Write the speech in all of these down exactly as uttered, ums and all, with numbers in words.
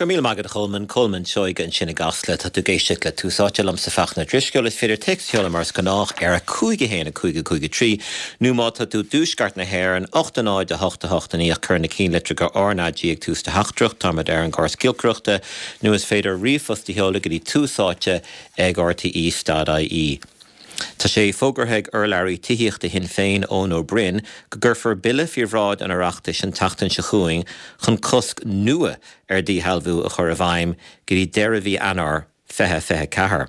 Go raibh míle maith agat a Cholmáin, Colmán Seoige ansin i gCasla. Tá tú ag éisteacht le Tús Áite liomsa Fachtna Ó Drisceoil. Is féidir téacs a sheoladh mar is gnách ar a cúig a haon a cúig a cúig a trí nó má tá tú i dtuaisceart na hÉireann, ocht a náid a hocht a hocht a naoi ach cuir na cinnlitreacha R N A G ag tús do theachtaireacht. Táimid ar an gcóras giolcaireachta nó is féidir ríomhphost a sheoladh go dtí Tús Áite ag R T E dot I E. Tá sé fógartha ag urlabhraí tithíochta Shinn Féin, Eoin Ó Broin, go gcuirfear bille faoi bhráid an Oireachtais an tseachtain seo chugainn chun cosc nua ar dhíshealbhú a chur i bhfeidhm go dtí deireadh mhí Eanáir fiche fiche ceathair.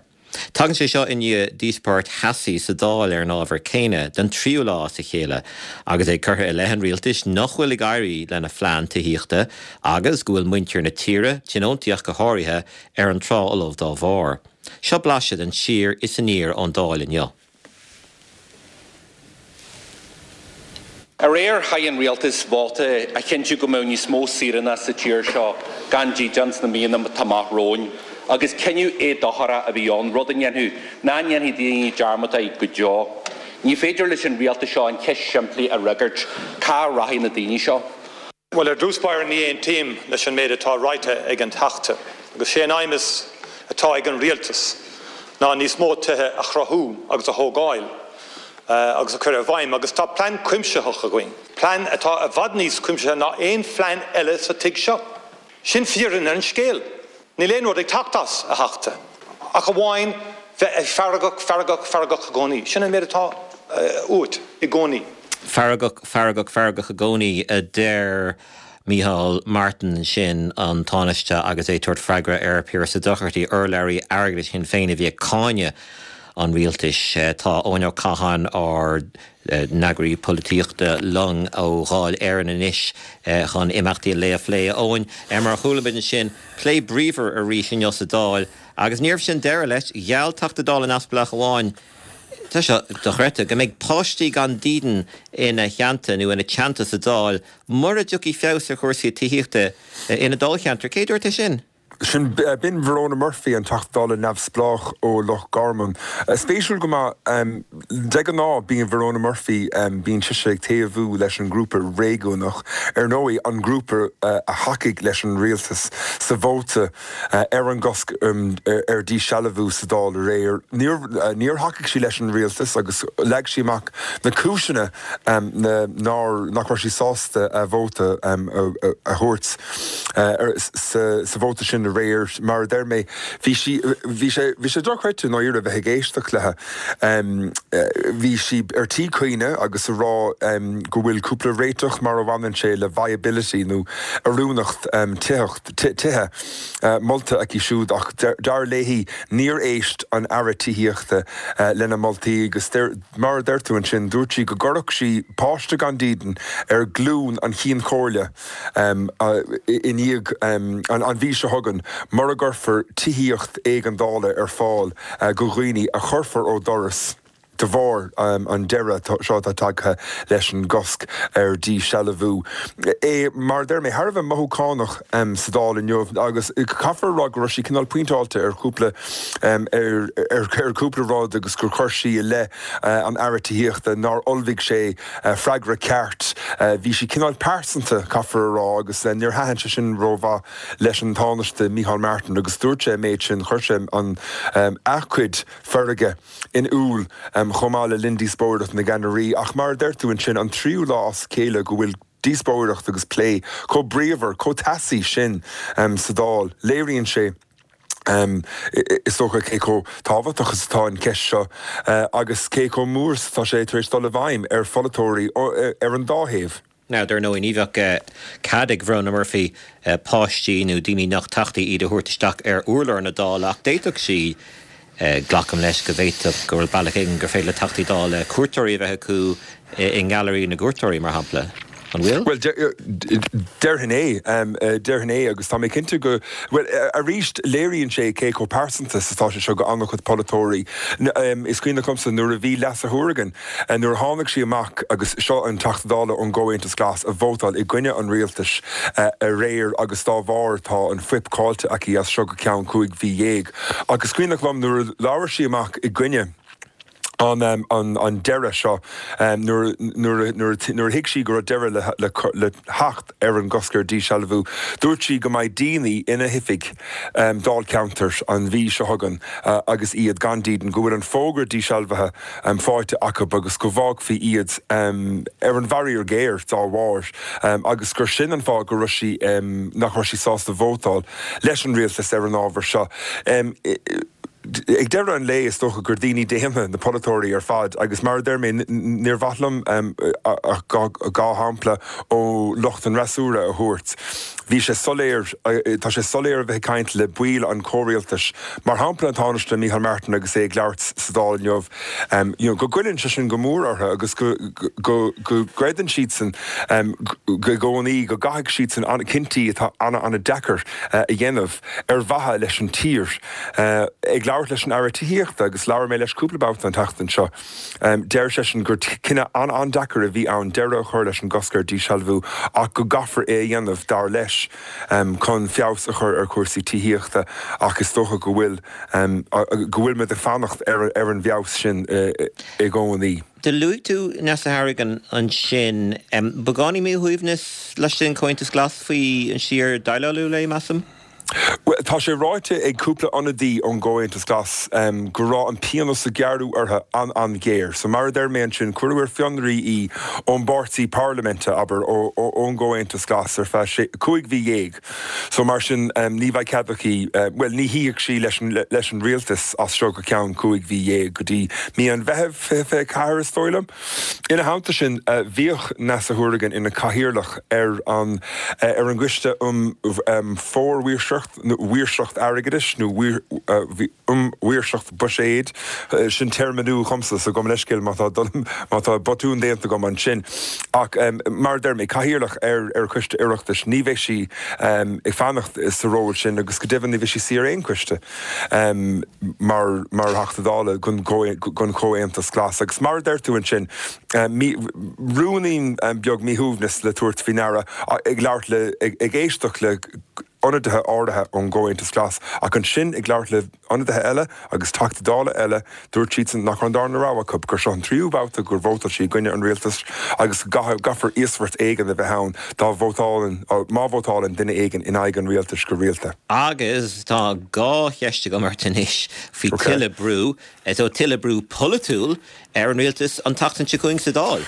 Tagann sé seo i ndiaidh díospóireacht theasaí sa Dáil ar an ábhar céanna don tríú lá as a chéile agus é curtha i leith an rialtais nach bhfuil ag éirí lena phlean tithíochta agus go bhfuil muintir na tíre, tionóntaí ach go háirithe, ar an trá fholamh dá bharr. Seo blaiseadh den siar is aniar ón Dáil inniu. Aréir chaith an rialtas vóta a chinntiú go mbeadh níos mó saoránach sa tír seo gan dídean sna míonna atá amach romhainn, agus cinneadh éadocharach a bhí ann, rud a ndéanfadh nach ndéanfaidh daoine dearmad air go deo. Ní féidir leis an rialtas seo an cheist simplí a fhreagairt, cá rachaidh na daoine seo? Bhuel, ar dtús báire ní aontaím leis an méid atá ráite ag an Teachta, agus sé an aidhm is atá ag an rialtas ná níos mó tithe a chruthú agus a thógáil agus a chur i bhfeidhm, agus tá plean cuimsitheach againn, plean atá i bhfad níos cuimsithe ná aon phlean eile sa tigh seo. Sin fírinne an scéil. Níl aon rud ag teacht as, a Theachta, ach amháin bheith ag feargach, feargach, feargach i gcónaí. Sin an méid atá uait i gcónaí. Feargach, feargach, feargach i gcónaí, a deir Micheál Martin ansin, an Tánaiste, agus é ag tabhairt freagra ar Pearse Doherty, urlabhraí airgeadais Shinn Féin a bhí ag cáineadh an rialtais. Tá Eoin Ó Catháin, ár n-eagraí polaitíochta, linn ó Dháil Éireann anois chun imeachtaí an lae a phlé. A Eoin, mar a chuala muid ansin, plé bríomhar arís inniu sa Dáil agus níorbh sin deireadh leis. Gheall Teachta Dála neamhspleách amháin, tá seo dochreidte, go mbeidh páistí gan dídean ina theannta nó ina teannta sa Dáil mura dtiocfaidh feabhas ar chúrsaí tithíochta ina dáilcheantar. Cé dúirt é sin? Sin b'in Verona Murphy, an Teachta Dála neamhspleách ó Loch Garman. Spéisiúil go maith, de ghnáth bíonn Verona Murphy, bíonn sise ag taobhú leis an ngrúpa réigiúnach, ar ndóigh an grúpa a thacaigh leis an rialtas sa vóta ar an gcosc ar dhíshealbhú sa Dáil aréir. Níor thacaigh sí leis an rialtas agus leag sí amach na cúiseanna nár nach raibh sí sásta a vóta a thabhairt sa vóta sin aréir. Mar a deir mé, bhí sí bhí sé bhí sé dochreidte dáiríre bheith ag éisteacht léi. Bhí sí ar tí caoineadh agus a rá go bhfuil cúpla réiteach mar a bhaineann sé le viability nó oiriúnacht titheacht tithe molta aici siúd ach dar léi níor éist an Aire Tithíochta lena moltaí agus mar a deir tú ansin dúirt sí go gcuirfeadh sí páiste gan dídean ar ghlúin an Chinn Chomhairle i ndiaidh an mhí seo chugainn mura gcuirfear tithíocht éigeandála ar fáil go dhaoine a chuirfear ó dhoras de bharr an deireadh seo atá tagtha leis an gcosc ar dhíshealbhú. É mar deir mé thar a bheith mothúchánach sa Dáil inniu agus caithfear a rá go raibh sí cineál pointeáilte ar chúpla ar ar cúpla rud agus gur chuir sí i leith an Aire Tithíochta nár ullmhaigh sé freagra ceart. Bhí sí cineál pearsanta, caithfear a rá, agus níor thaitin sé sin rómhaith leis an Tánaiste Micheál Martin agus dúirt sé an méid sin, chuir sé an a chuid feirge in iúl chomh maith le linn díospóireacht na gceannairí, ach mar a deir tú ansin, an tríú lá as a chéile go bhfuil díospóireacht agus plé chomh bríomhar, chomh teasaí sin sa Dáil. Léiríonn sé is dócha cé chomh tábhachtach is atá an cheist seo agus cé chomh mór is atá sé tar éis dul i bhfeidhm ar pholaiteoirí ar an dá thaobh. Now, dar ndóigh, ní bheadh cead ag Verona Murphy páistí nó daoine nach teachtaí iad a thabhairt isteach ar urlár na Dála, ach d'fhéadfadh sí, glacaim leis go bhféadfadh go bhfuil bealach éigin gur féidir le Teachtaí Dála cuairteoirí a bheith acu i nGailearaí na gCuairteoirí, mar shampla. An bhfuil? Bhuel, déarfainn é, déarfainn é, agus tá mé cinnte go, bhuel, arís, léiríonn sé cé chomh pearsanta is atá sé seo go an-chuid polaiteoirí. Is cuimhneach liomsa nuair a bhí Neasa Hourigan, nuair a tháinig sí amach, agus seo an Teachta Dála ón gComhaontas Glas a vótáil i gcoinne an rialtais aréir agus dá bharr tá an fuip caillte aici as seo go ceann cúig mhí dhéag. Agus is cuimhneach liom nuair a labhair sí amach i gcoinne an an an deireadh seo nuair nuair nuair nuair thuig sí go raibh deireadh le le le theacht ar an gcosc ar dísealbhú. Dúirt sí go mbeidh daoine ina hoifig um, dáilcheantair an mhí seo chugainn uh, agus iad gan dídean, go bhfuil an fógra dísealbhaithe um, faighte acu agus go bhfágfaí iad um, ar an bhfaraor géar dá bharr um, agus gur sin an fáth go raibh sí um, nach raibh sí sásta vótáil leis an rialtas ar an ábhar seo. Um, Ag deireadh an lae is dócha gur daoine daonna na polaiteoirí ar fad agus mar a deir mé níor mhaith liom dhá shampla ó lucht an fhreasúra a thabhairt. Bhí sé soiléir tá sé soiléir a bheith ag caint le baill an chomhrialtais. Mar shampla an Tánaiste Micheál Martin agus é ag labhairt sa Dáil inniu you know, go gcuireann sé sin go mór orthu agus go go go gcreideann siadsan i gcónaí go gcaithfidh siadsan an cinntí atá ana an-deacair a dhéanamh ar mhaithe leis an tír. Ag labhairt leis an Aire Tithíochta agus labhair mé leis cúpla babhta an tseachtain seo. Deir seisean gur cinneadh an-an-deacair a bhí ann deireadh a chur leis an gcosc ar dísealbhú ach go gcaithfear é a dhéanamh dar leis chun feabhas a chur ar chúrsaí tithíochta ach is dócha go bhfuil go bhfuil muid ag fanacht ar ar an bhfeabhas sin i gcónaí. Do luaigh tú Neasa Hourigan ansin beagáinín míshuaimhneas leis an Comhaontas Glas faoi an síor-dhéileáladh léi measaim? Well, tá sé ráite ag cúpla ionadaí ón gComhaontas Glas um, go raibh an pionós a gearradh uirthi an an-ghéar. So mar a deir mé ansin cuireadh ar fionraí í ón bpáirtí parlaiminte abair ón gComhaontas Glas ar feadh cúig mhí dhéag. So mar sin um, ní bheidh cead aici uh, well ní shuífidh sí leis an, leis an rialtas as seo go ceann cúig mhí dhéag go dtí mí an Mheithimh fiche fiche ceathair is dóigh liom. Ina theannta sin uh, bhíodh Neasa Hourigan ina cathaoirleach ar an uh, ar an gcoiste um, um, formhaoirseacht maoirseacht airgeadais nó um mhaoirseacht buiséid sin téarma nua dhomsa so gabh mo leithscéal má tá má tá botún déanta agam ansin. Ach um, mar deir mé cathaoirleach ar ar choiste Oireachtais ní bheidh sí um, ag fanacht sa ról sin agus go deimhin ní bheidh sí ar aon choiste um, mar mar Theachta Dála don don Chomhaontas Glas agus mar deir tú ansin um, ruainnín um, beag míshuaimhneas le tabhairt faoi deara ag labhairt le ag, ag éisteacht le ionadaithe áirithe ón gComhaontas Glas ach ansin ag labhairt le ionadaithe eile agus Teachtaí Dála eile dúirt siadsan nach raibh an darna rogha acu gur seo an tríú babhta gur vótáil sí i gcoinne an rialtais agus caithfear íosbheart éigin a bheith ann dá vótálann má vótálann duine éigin in aghaidh an rialtais go rialta. Agus tá dhá cheist agam ort anois faoi tuilleadh brú so tuilleadh brú polaitiúil ar an rialtas an tseachtain seo chugainn sa Dáil.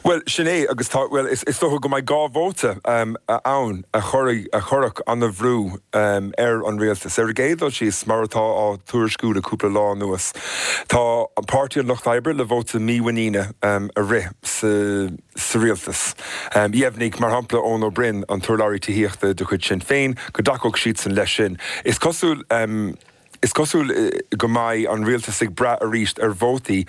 Well sin é agus tá well is, is dócha go mbeidh dhá vóta um, ann a chuirfidh a chuirfidh an-bhrú um, ar an rialtas. Ar an gcéad dul síos mar atá á tuairisciú le cúpla lá anuas. Tá an Páirtí an Lucht Oibre le vóta mímhuiníne um, a rith sa, sa rialtas. Um, Dheimhnigh mar shampla Eoin Ó Broin an t-urlabhraí tithíochta de chuid Sinn Féin go dtacódh siadsan leis sin. Is cosúil um, Is cosúil go mbeidh an rialtas ag brath arís ar vótaí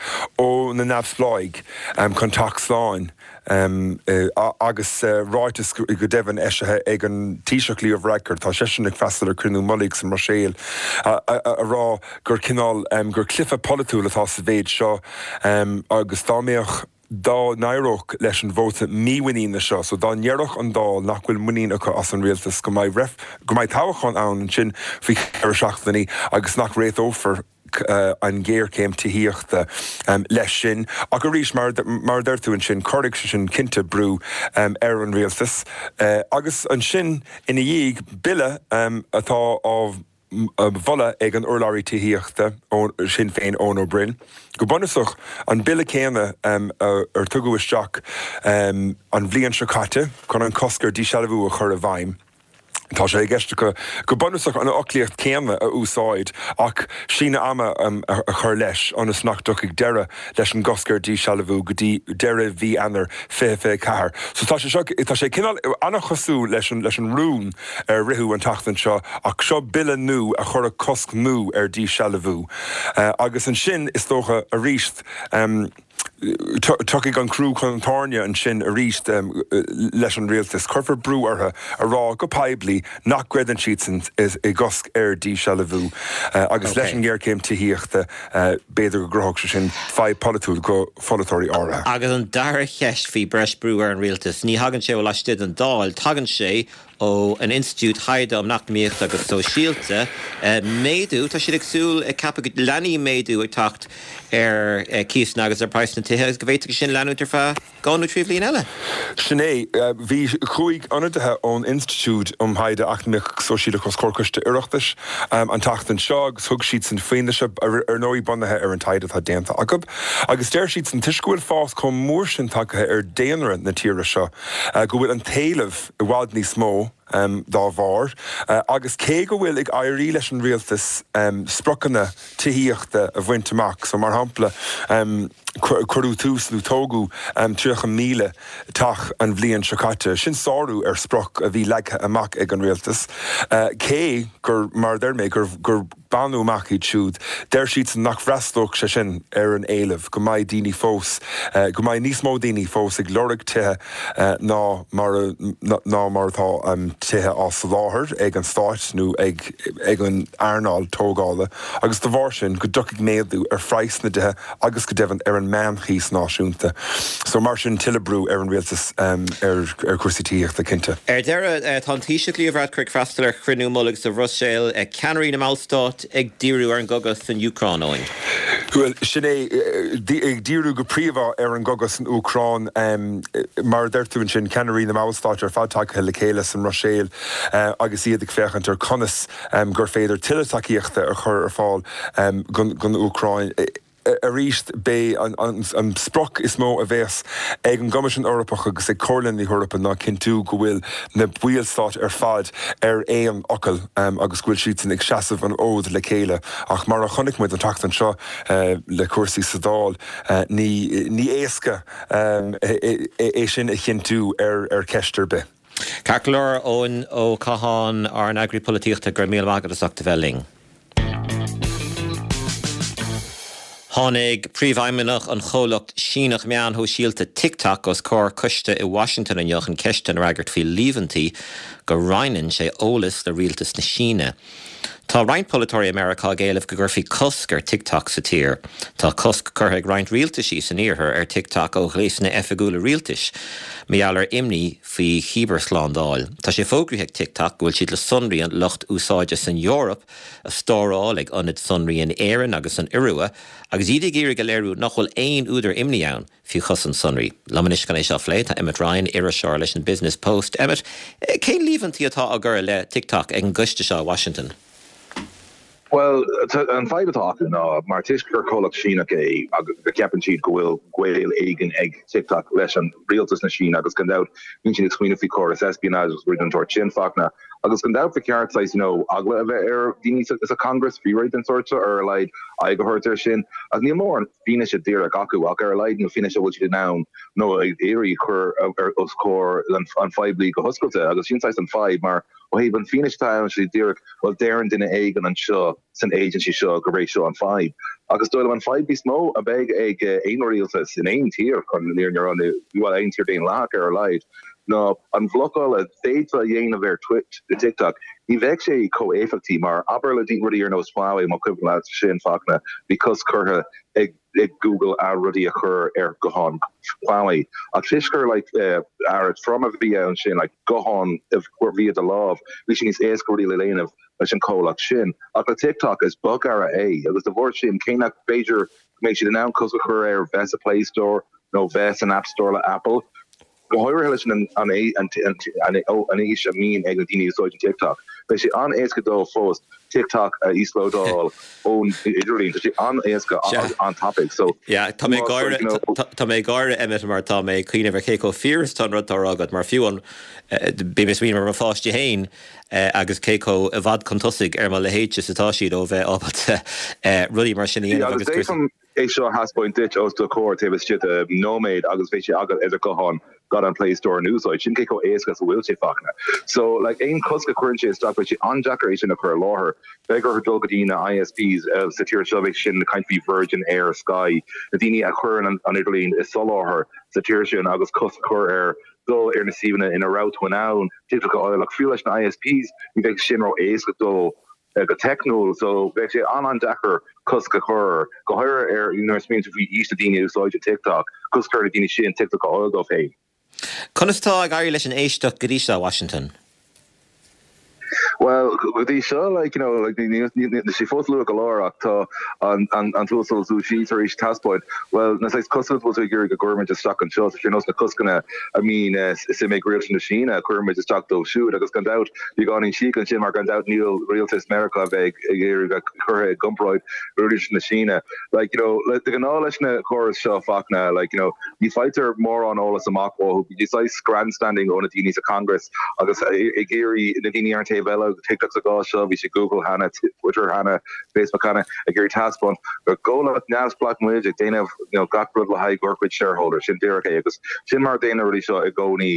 ó na neamhspleáigh um, chun teacht slán um, uh, agus uh, ráiteas go deimhin eisithe ag an Taoiseach Leo Varadkar tá seisean ag freastal ar chruinniú mullaigh sa mBruiséil a, a, a, a rá gur cineál um, gur cluiche polaitiúil atá sa mhéid seo um, agus dá mbeadh dá n-éireodh leis an vóta mímhuiníne seo, so dá ndéarfadh an Dáil nach bhfuil muinín acu as an rialtas go mbeidh ref, go mbeidh toghchán ann ansin faoi cheithre seachtainí agus nach réiteofar uh, an ghéarchéim tithíochta um, leis sin. Ach arís mar, mar deir tú ansin cuirfidh sé sin cinnte brú um, ar an rialtas. Uh, agus ansin ina dhiaidh bille um, atá á mholadh ag an urlabhraí tithíochta ó Sinn Féin Eoin Ó Broin. Go bunúsach an bille céanna um, ar tugadh isteach um, an bhliain seo caite chun an cosc ar dísealbhú a chur i bhfeidhm. Tá sé i gceist go go bunúsach an fhoclaíocht céanna a úsáid ach síneadh ama um, a, a chur leis ionas nach dtiocfaidh deireadh leis an gcosc ar dísealbhú go dtí deireadh mhí Eanáir fiche fiche ceathair. So tá sé seo tá sé cineál an-chosúil leis an leis an rún ar ritheadh an tseachtain seo ach seo bille nua a chuirfidh cosc nua ar dísealbhú. Uh, agus ansin is dócha arís um, Tiocfaidh an crú chun tairne ansin arís leis an rialtas. Cuirfear brú orthu a rá go poiblí nach gcreideann siadsan i gcosc ar dhíshealbhú agus leis an ngéarchéim tithíochta b'fhéidir go gcruthódh sé sin fadhb pholaitiúil do pholaiteoirí áirithe. Agus an dara cheist faoi breis brú ar an rialtas, ní thagann sé ó laistigh den Dáil, tagann sé ó an Institiúid Taighde um Eacnamaíocht agus Sóisialta, méadú, tá siad ag súil, ag ceapadh go leanfaidh méadú ag teacht ar cíosanna agus ar praghas na tithe agus go bhféadfadh sin leanúint ar feadh dhá nó trí bhliain eile. Sin é. Bhí cúig ionadaithe ón Institiúid um Thaighde Eacnamaíoch agus Sóisialach os comhair Coiste Oireachtais an tseachtain seo agus thug siadsan fianaise, ar ndóigh bunaithe ar an taighde atá déanta acu, agus deir siadsan toisc go bhfuil fás chomh mór sin tagtha ar daonra na tíre seo go bhfuil an t-éileamh i bhfad níos mó dá bharr agus cé go bhfuil ag éirí leis an rialtas spriocanna tithíochta a bhaint amach, so mar shampla cuireadh tús nó tógadh tríocha míle teach an bhliain seo caite, sin sárú ar sprioc a bhí leagtha amach ag an rialtas, cé gur, mar a deir mé, gur gur baineadh amach iad siúd, deir siadsan nach bhfreastalódh sé sin ar an éileamh, go mbeidh daoine fós, go mbeidh níos mó daoine fós ag lorg tithe ná mar a ná mar atá tithe á soláthar ag an stát nó ag ag an earnáil tógála agus de bharr sin go dtiocfaidh méadú ar phraghas na dtithe agus go deimhin ar an meánchíos náisiúnta. So mar sin tuilleadh brú ar an rialtas ar ar chúrsaí tithíochta cinnte. Ar deireadh, tá an Taoiseach Leo Varadkar ag freastal ar chruinniú mullaigh sa Bhruiséil, ceannairí na mballstát ag díriú ar an gcogadh san Úcráin, Eoin. Bhuel, sin é, ag díriú go príomha ar an gcogadh san Úcráin, mar a deir tú ansin, ceannairí na mballstát ar fad tagtha le chéile sa mBruiséil agus iad ag féachaint ar conas gur féidir tuilleadh tacaíochta a chur ar fáil don Úcráin. Arís, b'é an sprioc is mó a bheas ag an gCoimisiún Eorpach agus ag Comhairle na hEorpa ná cinntiú go bhfuil na ballstáit ar fad ar aon fhocal agus go bhfuil siadsan ag seasamh an fhóid le chéile. Ach mar a chonaic muid an tseachtain seo le cúrsaí sa Dáil, ní éasca é sin a chinntiú ar cheist ar bith. Ceart go leor, Eoin Ó Catháin, ár n-eagraí polaitíochta, go raibh míle maith agat as ucht a bheith linn. Tháinig príomhfheidhmeannach an chomhlacht Síneach meán shóisialta TikTok os comhair coiste i Washington inniu chun ceisteanna a fhreagairt faoi líomhaintí go roinneann sé eolas le rialtas na Síne. Tá roinnt polaiteoirí i Meiriceá ag éileamh go gcuirfí cosc ar TikTok sa tír. Tá cosc curtha ag roinnt rialtaisí san iarthar ar TikTok ó ghléasanna oifigiúla rialtais mar gheall ar imní faoi chibearshlándáil. Tá sé fógraithe ag TikTok go bhfuil siad le sonraí an lucht úsáide san Eoraip a stóráil ag ionaid sonraí in Éirinn agus san Iorua agus iad ag iarraidh a léiriú nach bhfuil aon údar imní ann faoi chosaint sonraí. Liom anois chun é seo a phlé tá Emmet Ryan, iriseoir leis an Business Post. Emmet, cén líomhaintí atá á gcur i leith TikTok ag an gcoiste seo i Washington? Bhuel, an fadhb atá acu ná mar toisc gur comhlacht Síneach é agus go gceapann siad go bhfuil gaol éigin ag TikTok leis an rialtas na Síne agus gan dabht bíonn siad ag smaoineamh faoi chóras espionage agus rudaí den tsórt sin, Fachtna. Agus gan dabht ba cheart saghas you know eagla a bheith ar dhaoine sa Congress faoi rudaí den sórt seo ar a laghad aghaidh a thabhairt air sin. Ach níl mórán fianaise díreach acu ach ar a laghad nó fianaise a bhfuil siad in ann nó ag iarraidh cur ar os comhair an phoiblí go hoscailte agus sin saghas an fadhb mar ó thaobh an fianaise atá ann sé díreach bhuel deireann duine éigin anseo san agency seo gurb é seo an fadhb. Agus dóigh liom an fadhb níos mó a bheidh ag aon rialtas in aon tír chun an fhírinne a rá nó bhuel aon tír daonlathach ar a laghad ná an bhlocáil a d'fhéadfá a dhéanamh ar TikTok ní bheadh sé chomh éifeachtaí mar abair le rudaí ar nós Huawei má cuimhin leat sin Fachtna bhí cosc curtha ag ag Google a rudaí a chur ar ghuthán Huawei ach toisc gur like earra trom a bhí ann sin like guthán a bhí i do lámh bhí sé níos éasca rudaí le déanamh leis an comhlacht sin ach le TikTok is bogearra é agus de bharr sin cé nach b'fhéidir go mbeidh siad in ann cosc a chur air bheith sa Play Store nó bheith san App Store le Apple go háirithe leis an an an aois a mbíonn ag na daoine a úsáideann TikTok. Beidh sé an-éasca dóibh fós TikTok a íoslódáil ón idirlíon. Tá sé an-éasca an-tapaidh. So Yeah, tá mé ag gáire tá mé ag gáire Emmet mar tá mé ag cuimhneamh ar cé chomh fíor is atá an rud atá á rá agat mar fiú an bím ag smaoineamh ar mo pháistí féin agus cé chomh i bhfad chun tosaigh ar mo leithéidse is atá siad ó bheith ábalta rudaí mar sin a Yeah, dhéanamh agus agus d'fhéadfainn é seo a thaispeáint duit os do chomhair taobh istigh de nóiméad agus beidh sé agat ar do ghuthán gan an Play Store in úsáid. Sin cé chomh éasca is a bhfuil sé Fachtna. So like aon cosc a chuireann sé isteach beidh sé an-deacair é sin a chur i láthair. Beidh orthu dul go dtí na ISPs sa tír seo bheidh sin caint faoi Virgin, Eir, Sky, na daoine a chuireann an idirlíon i soláthar sa tír sin agus cosc a chur ar dul ar na suíomhanna ina raibh tú in ann TikTok a fháil ach fiú leis na ISPs ní bheidh sin ró éasca dul go teicniúil so beidh sé an-an-deacair cosc a chur, go háirithe ar nuair a smaoiníonn tú faoi aois na daoine a úsáideann TikTok, cosc a chur ar na daoine sin TikTok a fháil dóibh féin. Conas tá ag éirí leis an éisteacht go dtí seo, Washington? Well go dtí seo like you know like níl sé fós luath go leor ach tá an an an tUasal Zhu Xi tar éis taispeáint well na saghas coscanna bhfuil tú ag iarraidh go gcuirfimid isteach anseo tá sé nós na coscanna a mbíonn suim ag rialtas na Síne a chuirfimid isteach dóibh siúd agus gan dabht beagáinín síoch ansin mar gan dabht níl rialtas Meiriceá a bheith ag iarraidh a curtha i gcomparáid le rialtas na Síne like you know le de ghnáth leis na córais seo Fachtna like you know ní faightear mórán eolas amach uathu bíonn saghas grandstanding ó na daoine sa Congress agus ag iarraidh na daoine ar an taobh eile TikTok sa gcás seo bhí sé Google cheana Twitter cheana Facebook cheana ag iarraidh taispeáint gur comhlacht neamhspleách muid ag déanamh you know gach rud le haghaidh ár gcuid shareholders sin díreach é agus sin mar a déanann na rudaí seo i gcónaí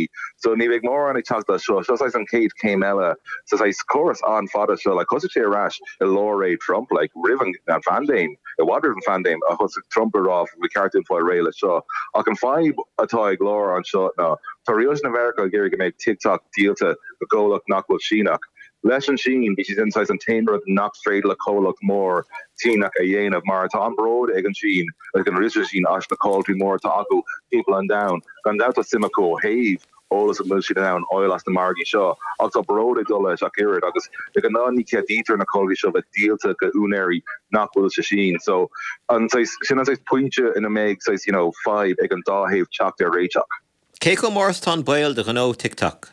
so ní bheidh mórán ag teacht as seo seo saghas an chéad chéim eile sa saghas córas an-fhada seo like thosaigh sé ar ais i lár ré Trump like roimh an an phaindéim i bhfad roimh an phaindéim a thosaigh Trump ag rá ba cheart dúinn fáil réidh leis seo ach an fadhb atá ag lár anseo ná tá rialtas na Meiriceá ag iarraidh go mbeidh TikTok díolta go comhlacht nach bhfuil Síneach. Leis an Sín, bhí siad saghas an t-aon rud nach féidir le comhlacht mór Síneach a dhéanamh mar tá an bród ag an Sín ag an rialtas Sín as na comhlachtaí mór atá acu timpeall an domhain. Gan dabht tá suim acu ó thaobh eolas a bhfuil siad in ann fháil as na margaí seo ach tá bród ag dul leis ach oiread agus de ghnáth ní cheadaítear na comhlachtaí seo bheith díolta go úinéirí nach bhfuil sa Sín. So an sin an saghas pointe ina mbeidh saghas you know fadhb ag an dá thaobh teacht ar réiteach. Cé chomh mór is atá an baol do ghnó TikTok?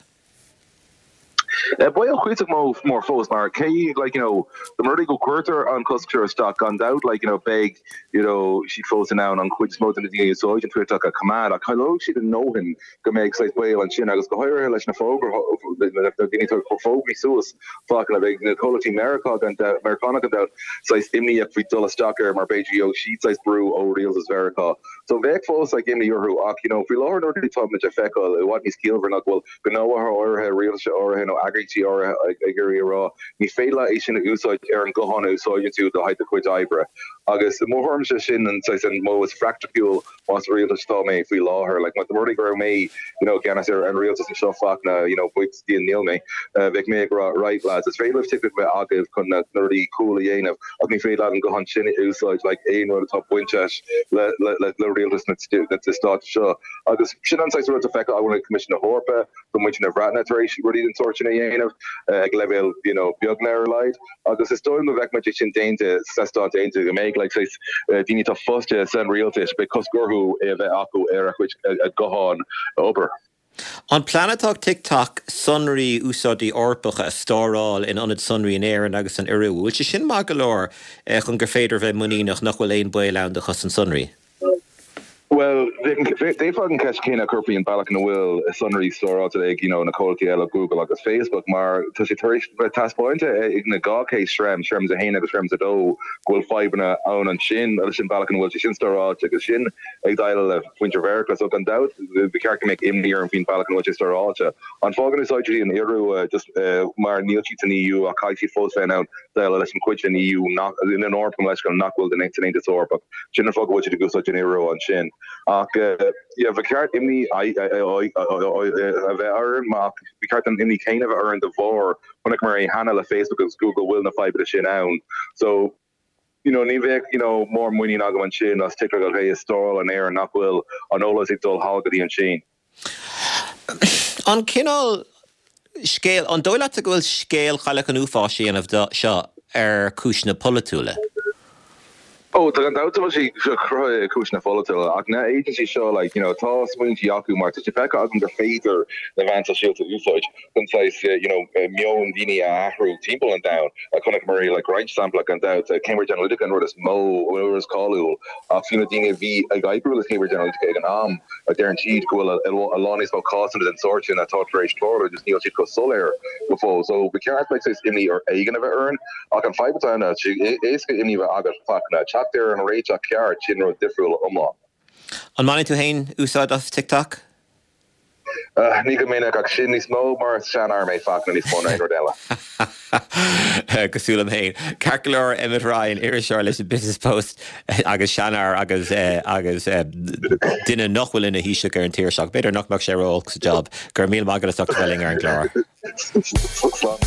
Baol cuíosach mór fós mar cé like you know dá mba rud é go gcuirtear an cosc seo isteach gan dabht like you know beidh you know siad fós in ann an chuid is mó de na daoine a úsáideann TikTok a choimeád ach cailleoidh siad a ndóthain go mbeidh saghas baol ansin agus go háirithe leis na fógra na daoine atá ag cur fógraí suas Fachtna beidh na comhlachtaí Meiriceá gan dabht Meiriceánach gan dabht saghas imníoch faoi dul isteach air mar b'fhéidir gheobhaidh siad saghas brú ó rialtas Mheiriceá so bheadh fós like imní orthu ach you know faoi láthair na rudaí atá muid a feiceáil i bhfad níos ciallmhaire ná go bhfuil gnóthaithe áirithe rialtais áirithe nó eagraíochtaí áirithe ag iarraidh a rá ní féidir leat é sin a úsáid ar an guthán a úsáideann tú le haghaidh do chuid oibre. Agus i mo thuairimse sin an saghas an modh is praiticiúil más rialtas atá mé faoi láthair. Like dá mba rud é go raibh mé you know i gceannas ar an rialtas anseo Fachtna you know buíochas do Dhia níl mé bheadh mé ag rá right lads is féidir libh TikTok a bheith agaibh chun na na rudaí cool a dhéanamh ach ní féidir leat an guthán sin a úsáid like aon rud atá bainteach le le le le rialtas na na stáit seo. Agus sin an saghas rud atá feicthe againn ag Coimisiún na hEorpa, tá muintir na Breataine tar éis rudaí den sórt sin a dhéanamh ag leibhéal you know beag ar a laghad agus is dóigh liom go bhfeicfimid é sin déanta sna Stáit Aontaithe go mbeidh like saghas daoine atá fostaithe san rialtas beidh cosc orthu é a bheith acu ar a chuid gutháin oibre. An plean atá ag TikTok sonraí úsáideoirí Eorpacha a stóráil in ionad sonraí in Éirinn agus san Iorua, bhfuil sé sin maith go leor chun gur féidir bheith muiníneach nach bhfuil aon baol ann do chosaint sonraí? Bhuel, d'fhéadfá an cheist chéanna a chur faoin bealach ina bhfuil sonraí stóráilte ag you know na comhlachtaí eile Google agus Facebook mar tá sé tar éis bheith taispeánta ag na dhá case Schrems, Schrems a haon agus Schrems a dó go bhfuil fadhbanna ann ansin leis an bealach ina bhfuil sé sin stóráilte agus sin ag déileáil le muintir Mheiriceá so gan dabht ba cheart go mbeadh imní orm faoin bealach ina bhfuil sé stóráilte. An fáth go n-úsáideann siad an Iorua just mar níl siad san EU ach caithfidh siad fós bheith in ann déileáil leis an chuid den EU nach den Eoraip gabh mo leithscéal nach bhfuil den san Aontas Eorpach. Sin an fáth go bhfuil siad ag úsáid an Iorua ansin. Ach yeah ba cheart imní a bheith orainn ach ba cheart an imní céanna a bheith orainn de bharr chonaiceamar é cheana le Facebook agus Google bhfuil na fadhbanna sin ann. So you know ní bheadh you know mór muinín agam ansin as TikTok ach é a stóráil in Éirinn nach bhfuil an eolas ag dul thall go dtí an tSín. An cineál scéal, an dóigh leatsa go bhfuil scéal Chailleach an Uafáis á dhéanamh de seo ar chúiseanna polaitiúla? Ó, tá gan dabht go bhfuil sé seo cruthaithe ar chúiseanna polaitiúla, ach na agencies seo, like, you know, tá smaointí acu mar tá sé feicthe agam gur féidir na meáin sóisialta a úsáid chun saghas, you know, meon daoine a athrú timpeall an domhain. Chonaiceamar é, like, roinnt sampla gan dabht, Cambridge Analytica an rud is mó, an rud is cáiliúil, ach fiú na daoine a bhí ag oibriú le Cambridge Analytica ag an am, deireann siad go bhfuil a lán níos mó cásanna den sórt sin atá tar éis tarlú just níl siad chomh soiléir go fóill. So ba cheart like saghas imní ar éigean a bheith orainn ach an fadhb atá ann ná tá sé éasca imní a bheith agat Fachtna teacht ar an réiteach ceart sin rud difriúil iomlán. An mbaineann tú féin úsáid as TikTok? Ní go minic ach sin níos mó mar seanfhear mé Fachtna níos mó ná aon rud eile. Cosúil liom féin. Ceart go leor Emmet Ryan iriseoir leis an Business Post agus seanfhear agus agus duine nach bhfuil ina Thaoiseach ar an tír seo. B'fhéidir nach mbeadh sé ró-olc sa job gur míle maith agat as ucht a bheith linn ar an gclár.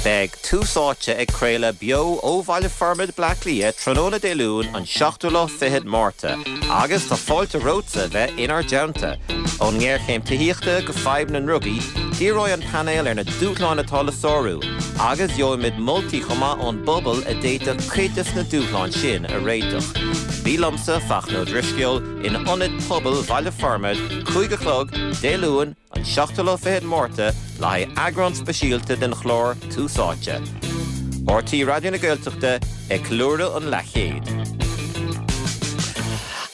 Beidh Tús Áite ag craoladh beo ó Bhaile Formaid Bleá Cliath tráthnóna Dé Luain an seachtú lá fichead Márta agus tá fáilte romhatsa bheith inár dteannta. Ón ngéarchéim tithíochta go fadhb na ndrugaí, díreoidh an painéal ar na dúshláin atá le sárú, agus gheobhaimid moltaí chomh maith ón bpobal a d'fhéadfadh cuid de na dúshláin sin a réiteach. Bí liomsa Fachtna Ó Drisceoil in Ionad Pobail Bhaile Formaid, cúig a chlog, Dé Luain, an seachtú lá fichead Márta le haghaidh eagrán speisialta den chlár Tús Áite. RTÉ Raidió na Gaeltachta ag ceiliúradh an leathchéid.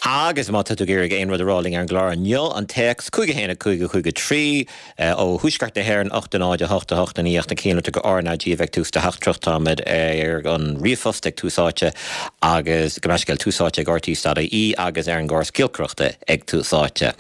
Agus má tá tú ag iarraidh aon rud a rá linn ar an gclár inniu an téacs cúig a haon a cúig a cúig a trí ó Thuaisceart na hÉireann ocht a náid a hocht a hocht a naoi na cianlata go RnaG a bheidh tús de theachtaireacht táimid ar an ríomhphost ag Tús Áite agus go meiscéil Tús Áite ag RTÉ dot ie agus ar an gcóras giolcaireachta ag Tús Áite.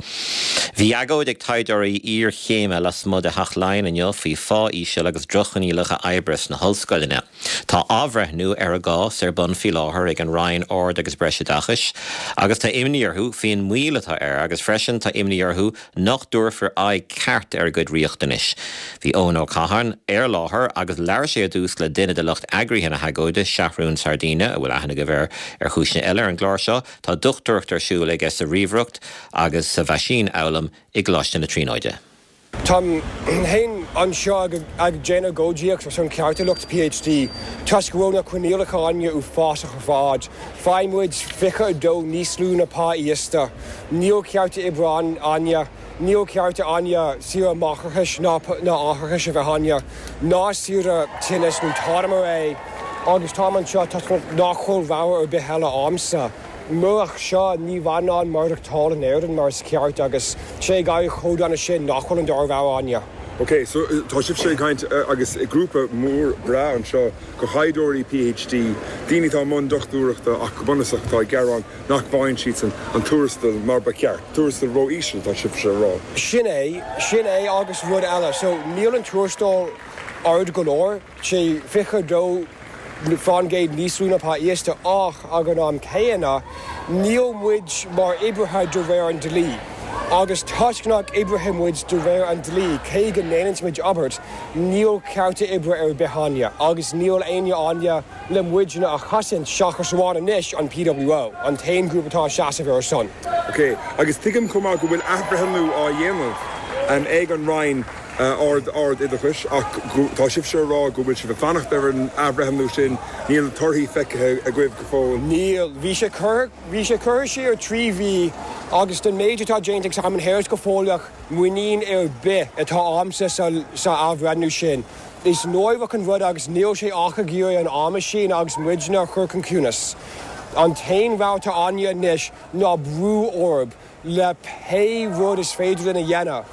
Bhí agóid ag taighdeoirí iarchéime lasmuigh de Theach Laighean inniu faoi phá íseal agus droch-choinníollacha oibre sna hollscoileanna. Tá athbhreithniú ar a gcás ar bun faoi láthair ag an Roinn Ard agus Breisoideachais agus tá imní orthu faoin moill atá air agus freisin tá imní orthu nach dtabharfar aghaidh ceart ar a gcuid riachtanais. Bhí Eoin Ó Catháin ar láthair agus labhair sé ar dtús le duine de lucht eagraithe na hagóide Seathrún Sardina a bhfuil aithne agaibh air ar chúiseanna eile ar an gclár seo, tá dochtúireacht ar siúl aige sa ríomhaireacht agus sa mheaisínfhoghlaim i gColáiste na Tríonóide. Táim féin anseo ag déanamh agóidíocht ar son cearta lucht PhD toisc go bhfuil na coinníollacha againne uafásach ar fad. Faigheann muid fiche a dó níos lú ná pá íosta. Níl cearta oibre againne, níl cearta againne saoire máithreachais ná átharachais a bheith againne, ná saoire tinnis nó tada mar é agus táim anseo toisc nach bhfuil rogha ar bith eile a'msa. Murach seo ní bheinn in ann maireachtáil in Éirinn mar is ceart agus sé ag éirí chomh dona sin nach bhfuil an dara rogha againne. Ok, so tá sibhse ag caint agus grúpa mór breá anseo de thaighdeoirí PhD, daoine atá i mbun dochtúireachta ach go bunúsach atá ag gearán nach bhfaigheann siadsan an tuarastal mar ba cheart. Tuarastal ró-íseal tá sibhse a rá. Sin é, sin é agus rud eile. So níl an tuarastal ard go leor, sé fiche dó faoin gcéad níos lú ná pá íosta ach ag an am céanna níl muid mar oibrithe de réir an dlí. Agus toisc nach oibrithe muid de réir an dlí cé go ndéanann muid obair, níl cearta oibre ar bith againne agus níl éinne againne le muidne a chosaint seachas amháin anois an PWO, an t-aon grúpa atá seasamh ar son. Ok, agus tuigim chomh maith go bhfuil athbhreithniú á dhéanamh ag an Roinn Ard Ard-Oideachais ach tá sibhse a rá go bhfuil sibh ag fanacht ar an athbhreithniú sin, níl torthaí feicthe agaibh go fóill. Níl. Bhí sé curtha bhí sé curtha siar trí mhí agus den méid atá déanta ag Simon Harris go fóilleach muinín ar bith atá a'msa sa sa athbhreithniú sin. Is náireach an rud agus níl sé ach ag iarraidh an am a shíneadh agus muidne a chur chun ciúnas. An t-aon rogha atá againne anois ná brú orthu le pé rud is féidir linn a dhéanamh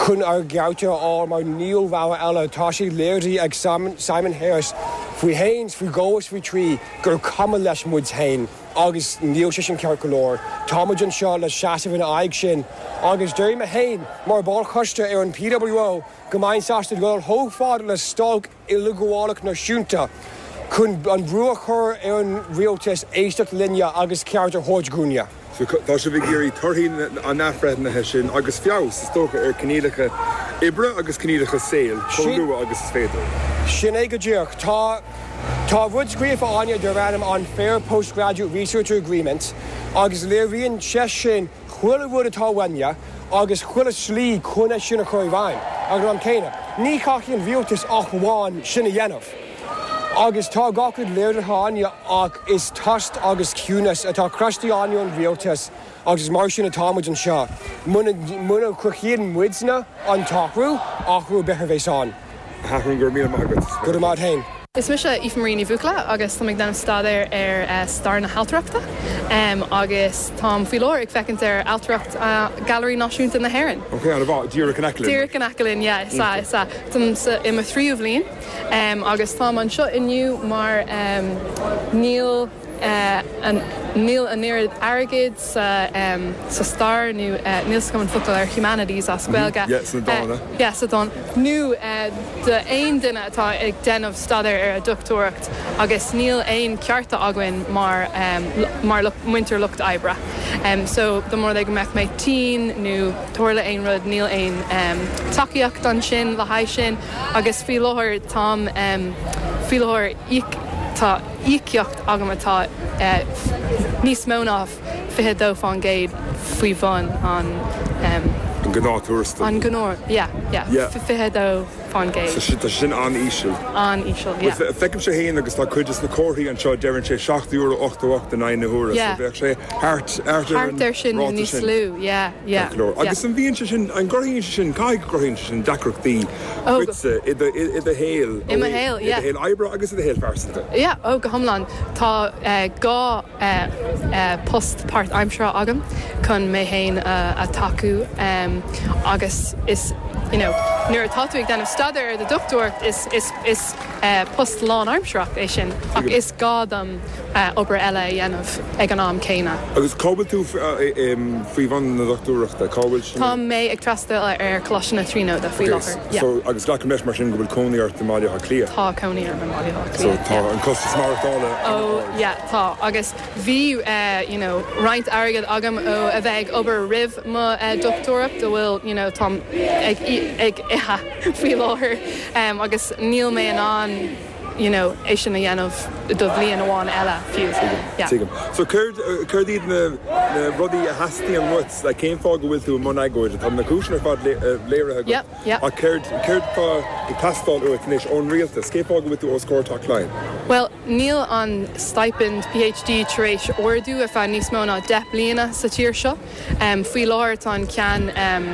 chun ár gcearta a fháil mar níl rogha eile. Tá sé léirithe ag Simon Harris faoi haon, faoi dhó is faoi trí gur cuma leis muid féin agus níl sé sin ceart go leor. Tá muid anseo le seasamh ina aghaidh sin agus deir mé féin mar ball coiste ar an PWO go mbeinn sásta dul chomh fada le stailc uileghabhálach náisiúnta chun an brú a chur ar an rialtas éisteacht linne agus ceart a thabhairt dhúinne. So tá sibh ag iarraidh torthaí an athbhreithnithe sin agus feabhas, is dócha, ar choinníollacha oibre agus coinníollacha saoil chomh luath agus is féidir. Sin é go díreach. Tá tá rud scríofa againne darb ainm an Fair Postgraduate Researcher Agreement agus léiríonn sé sin chuile rud atá uainne agus chuile slí chun é sin a chur i bhfeidhm. Ag an am céanna, ní chaithfidh an rialtas ach amháin sin a dhéanamh. Agus tá gach rud léirithe againne ach is tost agus ciúnas atá crosta againne ón rialtas agus is mar sin atá muid anseo. Muna muna chruthaíonn muidne an t-athrú, athrú ar bith a bheas ann. A Sheathrúin, go raibh míle maith agat. Go raibh maith agat féin. Is mise Aoife Marie Ní Bhuachalla agus táim ag déanamh staidéir ar stair na hailtireachta agus táim faoi láthair ag féachaint ar ailtireacht Gailearaí Náisiúnta na hÉireann. Ok, an-mhaith. Díreach in aice linn. Díreach in aice linn, yeah, is ea, is ea. Táim sa, i mo thríú bhliain agus táim anseo inniu mar níl an níl an oiread airgid sa um, sa stair nó uh, níl an focal ar humanities as Gaeilge. Yeah, sna dána. Uh, yeah, sa dán. Nó uh, do aon duine atá ag déanamh staidéar ar a dochtúireacht agus níl aon cearta againn mar um, mar muintir lucht oibre. Um, so dá mba rud é go mbeadh mé tinn nó tarla aon rud níl aon um, tacaíocht ansin le haghaidh sin agus faoi láthair táim um, faoi láthair tá íocaíocht agam atá uh, níos mó ná fiche dó faoin gcéad faoi bhun an um, an gnáth an gnáth yeah, yeah. Yeah. fiche dó faoin gcéad So tá sin an-íseal. an-íseal yeah. Feicim sé héin agus tá cuid de na comharthaí anseo deireann sé seacht euro ochtó ocht in aghaidh na huaire Yeah. so bheadh sé thart Thart ar sin níos lú yeah, yeah, Agus an bhíonn sé sin an gcruthaíonn sé sin caithfidh go gcruthaíonn sé sin deacrachtaí Oh, duitse i do i do shaol I mo shaol, yeah. I do shaol oibre agus i do shaol pearsanta. Yeah, ó go hiomlán tá uh, dhá uh, uh, post páirtaimseartha agam chun mé féin uh, a tacú um, agus is you know, nuair atá tú ag déanamh staidéar ar do dochtúireacht is, is, is uh, post lánaimsearach é sin ach is gá dom uh, obair eile a dhéanamh ag an am céanna. Agus cá bhfuil tú faoi bhun na dochtúireachta cá bhfuil sin Tá mé ag freastal ar Choláiste na Tríonóide faoi láthair. Yeah. So agus glacaim leis mar sin go bhfuil cónaí ort i mBaile Átha Cliath. Tá cónaí orm i mBaile Átha So Cliath, tá yeah. an costas maireachtála Oh yeah, tá agus bhí uh, you know, roinnt airgead agam ó a bheith ag obair roimh mo uh, dochtúireacht a bhfuil you know, táim ag, ag ithe faoi láthair um, agus níl mé in ann you know, é sin a dhéanamh do bhliain amháin eile fiú. Yeah. Tuigim. So céard céard iad na na rudaí a theastaíonn uait le cén fáth go bhfuil tú i mbun agóide tá na cúiseanna ar fad léirithe agat. Yep, yep. Ach céard céard tá ag teastáil uait anois ón rialtas, cén fáth go bhfuil tú os comhair Teach Laighean. Well, níl an stipend PhD tar éis ardú ar feadh níos mó ná deich bliana sa tír seo. Um, faoi láthair tá an ceann um,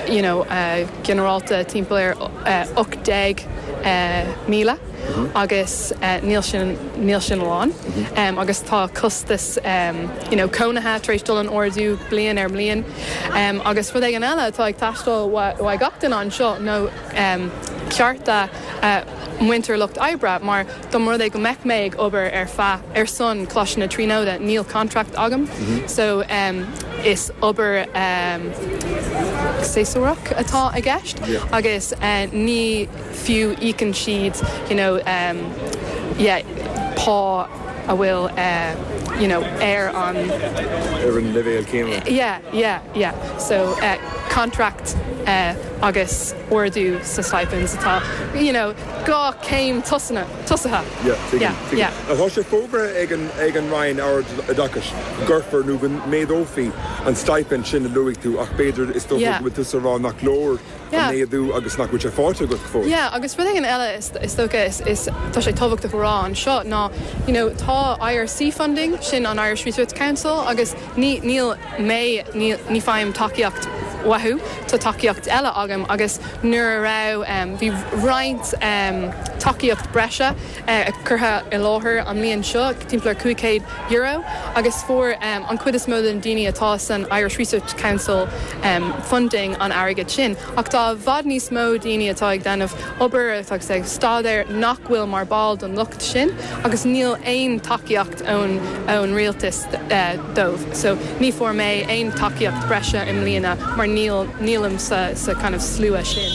you know, uh, ginearálta timpeall ar uh, ocht déag uh, míle. agus uh, níl sin níl sin lán um, agus tá costas um, you know, cónaithe tar éis dul in ardú bliain ar bhliain um, agus rud éigin eile atá ag teastáil ó gach duine anseo nó um, cearta uh, muintir lucht oibre mar dá mba rud é go mbeadh mé ag obair ar feadh ar son Choláiste na Tríonóide níl contract agam mm -hmm. so um, is obair um, séasúrach atá i gceist Yeah. agus uh, ní fiú íocann siad you know, um, yeah, pá a bhfuil uh, you know, ar an ar an leibhéal céanna. yeah, yeah, yeah. So uh, contract uh, agus ardú sa stipends atá you know, dhá céim tosaithe tosaithe. Yeah, tuigim, yeah, tuigim. yeah. Tá sé fógartha ag an ag an Roinn Ard-Oideachais gcuirfear nó go méadófaí an stipend sin a luaigh tú ach b'fhéidir is dócha Yeah. go bhfuil tú ag rá nach leor Yeah. an méadú agus nach bhfuil sé faighte agat fós. Yeah, agus rud éigin eile is, is dócha is, is tá sé tábhachtach a rá anseo ná you know, tá IRC funding sin an Irish Research Council agus ní níl mé ní, ní fhaighim tacaíocht uathu tá tacaíocht eile agam agus nuair a raibh um, bhí roinnt um, tacaíocht breise uh, curtha i láthair an bhliain seo timpeall cúig chéad euro agus fuair um, an chuid is mó den daoine atá san Irish Research Council um, funding an airgead sin ach tá i bhfad níos mó daoine atá ag déanamh obair atá ag staidéar nach bhfuil mar ball don lucht sin agus níl aon tacaíocht ón ón rialtas uh, dóibh. So ní fuair mé aon tacaíocht breise i mbliana mar níl nílim sa, sa kind of slua sin.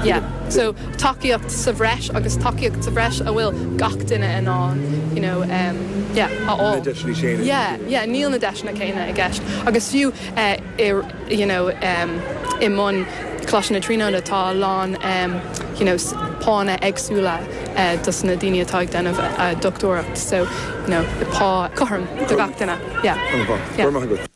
Yeah. So tacaíocht sa bhreis agus tacaíocht sa bhreis a bhfuil gach duine in ann you know, um, yeah, a Na fháil. deiseanna céanna. Yeah, yeah, níl na deiseanna céanna i gceist. Agus fiú uh, i, you know, um, i mbun Choláiste na Tríonóide tá a lán um, you know, pánna éagsúla uh, dos na daoine atá ag déanamh uh, dochtúireacht, so you know, pá cothrom do gach duine. Yeah. Yeah. Yeah.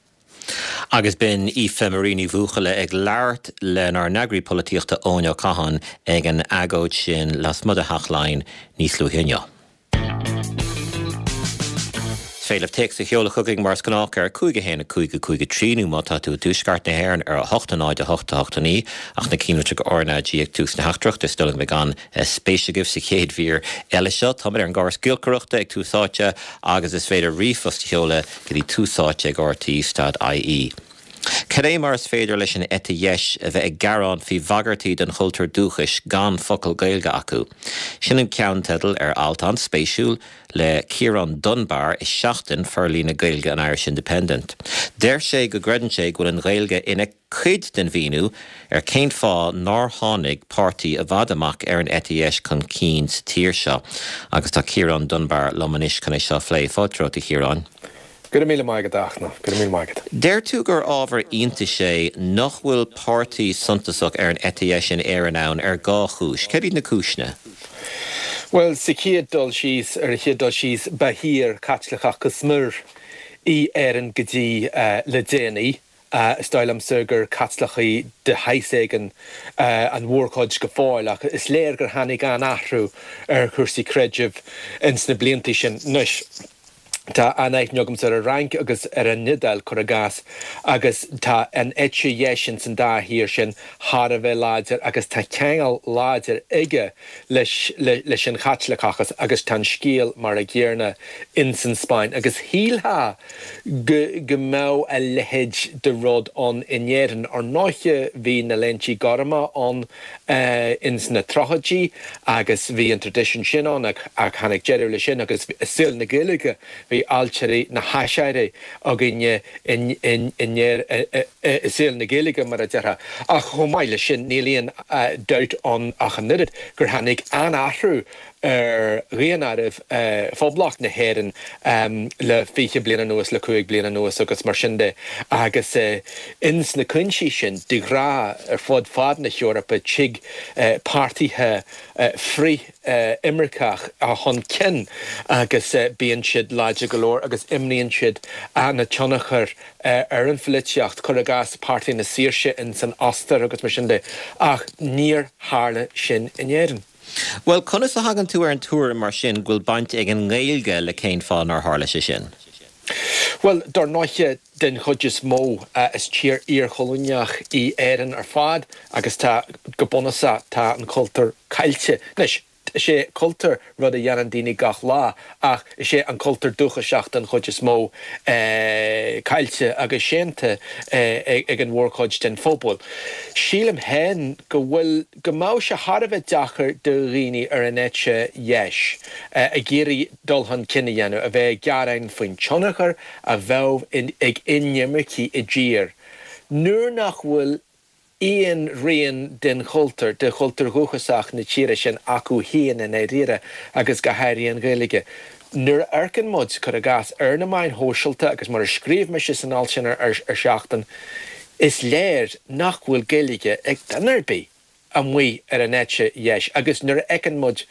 Agus b'in Aoife Marie Ní Bhuachalla ag labhairt lenár n-eagraí polaitíochta Eoin Ó Catháin ag an agóid sin lasmuigh de Theach Laighean níos luaithe inniu. Féidir téacs a sheoladh chugainn mar is gnách ar cúig a haon cúig cúig trí nó má tá tú i dtuaisceart na hÉireann ar a hocht náid a hocht a hocht naoi ach na cinnlitreacha RnaG ag tús na teachtaireachta is dóigh liom gan spéis agaibh sa chéad mhír eile seo Tá ar an gcóras giolcaireachta ag Tús Áite agus is féidir ríomhphost a sheoladh go dtí túsáite ag RTÉ.ie. Cad é mar is féidir leis an eite dheis a bheith ag gearán faoi bhagairtí don chultúr dúchais gan focal Gaeilge acu. Sin an ceannteideal ar alt an-spéisiúil le Ciarán Dunbar i Seachtain forlíonadh Gaeilge an Irish Independent. Deir sé go gcreideann sé go bhfuil an Ghaeilge ina cuid den mhíniú ar cén fáth nár tháinig páirtí i bhfad amach ar an eite dheis chun cinn sa tír seo. Agus tá Ciarán Dunbar liom anois chun é seo a phlé. Fáilte romhat, a Chiaráin. Go raibh míle maith agat, a Fhachtna, go raibh míle maith agat. Deir tú gur ábhar iontais é nach bhfuil páirtí suntasach ar an eite dheis in Éirinn ann ar dhá chúis. Céard iad na cúiseanna? Bhuel, sa chéad dul síos, ar an chéad dul síos, ba thír Chaitliceach go smior í Éirinn go dtí le déanaí. Is dóigh liomsa gur Caitlicigh de shaghas éigin an mhórchuid go fóill ach is léir gur tháinig an-athrú ar chúrsaí creidimh ins na blianta sin. Anois, tá an-aithne agamsa ar an Fhrainc agus ar an Iodáil, cuir i gcás, agus tá an eite dheis ins an dá thír sin thar a bheith láidir agus tá ceangal láidir aige leis leis an Chaitliceachas agus tá an scéal mar a gcéanna ins an Spáinn agus shílfeá go go mbeadh a leithéid de rud ann in Éirinn. Ar ndóiche bhí na Léintí Gorma ann ins na tríochaidí agus bhí an traidisiún sin ann ach tháinig deireadh leis sin agus i saol na Gaeilge bhí ailtirí na hAiséirí againne in i saol na Gaeilge mar a déarfá. Ach chomh maith leis sin níl aon dabht ann ach an oiread gur tháinig an-athrú ar dhaonáireamh Phoblacht na hÉireann le fiche bliain anuas, le cúig bliana anuas agus mar sin de agus ins na cúinsí sin, de ghnáth ar fud fad na hEorpa tig páirtithe frith-imirceach chun cinn agus bíonn siad láidir go leor agus imríonn siad an-tionchar ar an pholaitíocht, cuir i gcás Páirtí na Saoirse ins an Ostair agus mar sin de, ach níor tharla sin in Éirinn. Bhuel, conas a thagann tú ar an tuairim mar sin go bhfuil baint ag an nGaeilge le cén fáth nár tharla sé sin? Bhuel, dar ndóiche, den chuid is mó, is tír iarchoilíneach í Éirinn ar fad agus tá, go bunúsach, tá an cultúr caillte. Anois, is é cultúr rud a dhéanann daoine gach lá ach is é an cultúr dúchasach den chuid is mó caillte agus séanta ag an mhórchuid den phobal. Sílim féin go bhfuil, go mbeadh sé thar a bheith deacair do dhaoine ar an eite dheis ag iarraidh dul chun cinn a dhéanamh, a bheith ag gearán faoin tionchar a bheadh ag inimircigh i dtír nuair nach bhfuil aon rian den chultúr, de chultúr dhúchasach na tíre sin acu féin i ndáiríre agus go háirithe an Ghaeilge. Nuair a amharcann muid, cuir i gcás, ar na meáin shóisialta agus mar a scríobh mise san alt sin ar Seachtain, is léir nach bhfuil Gaeilge ag duine ar bith amuigh ar an eite dheis agus nuair a fheiceann muid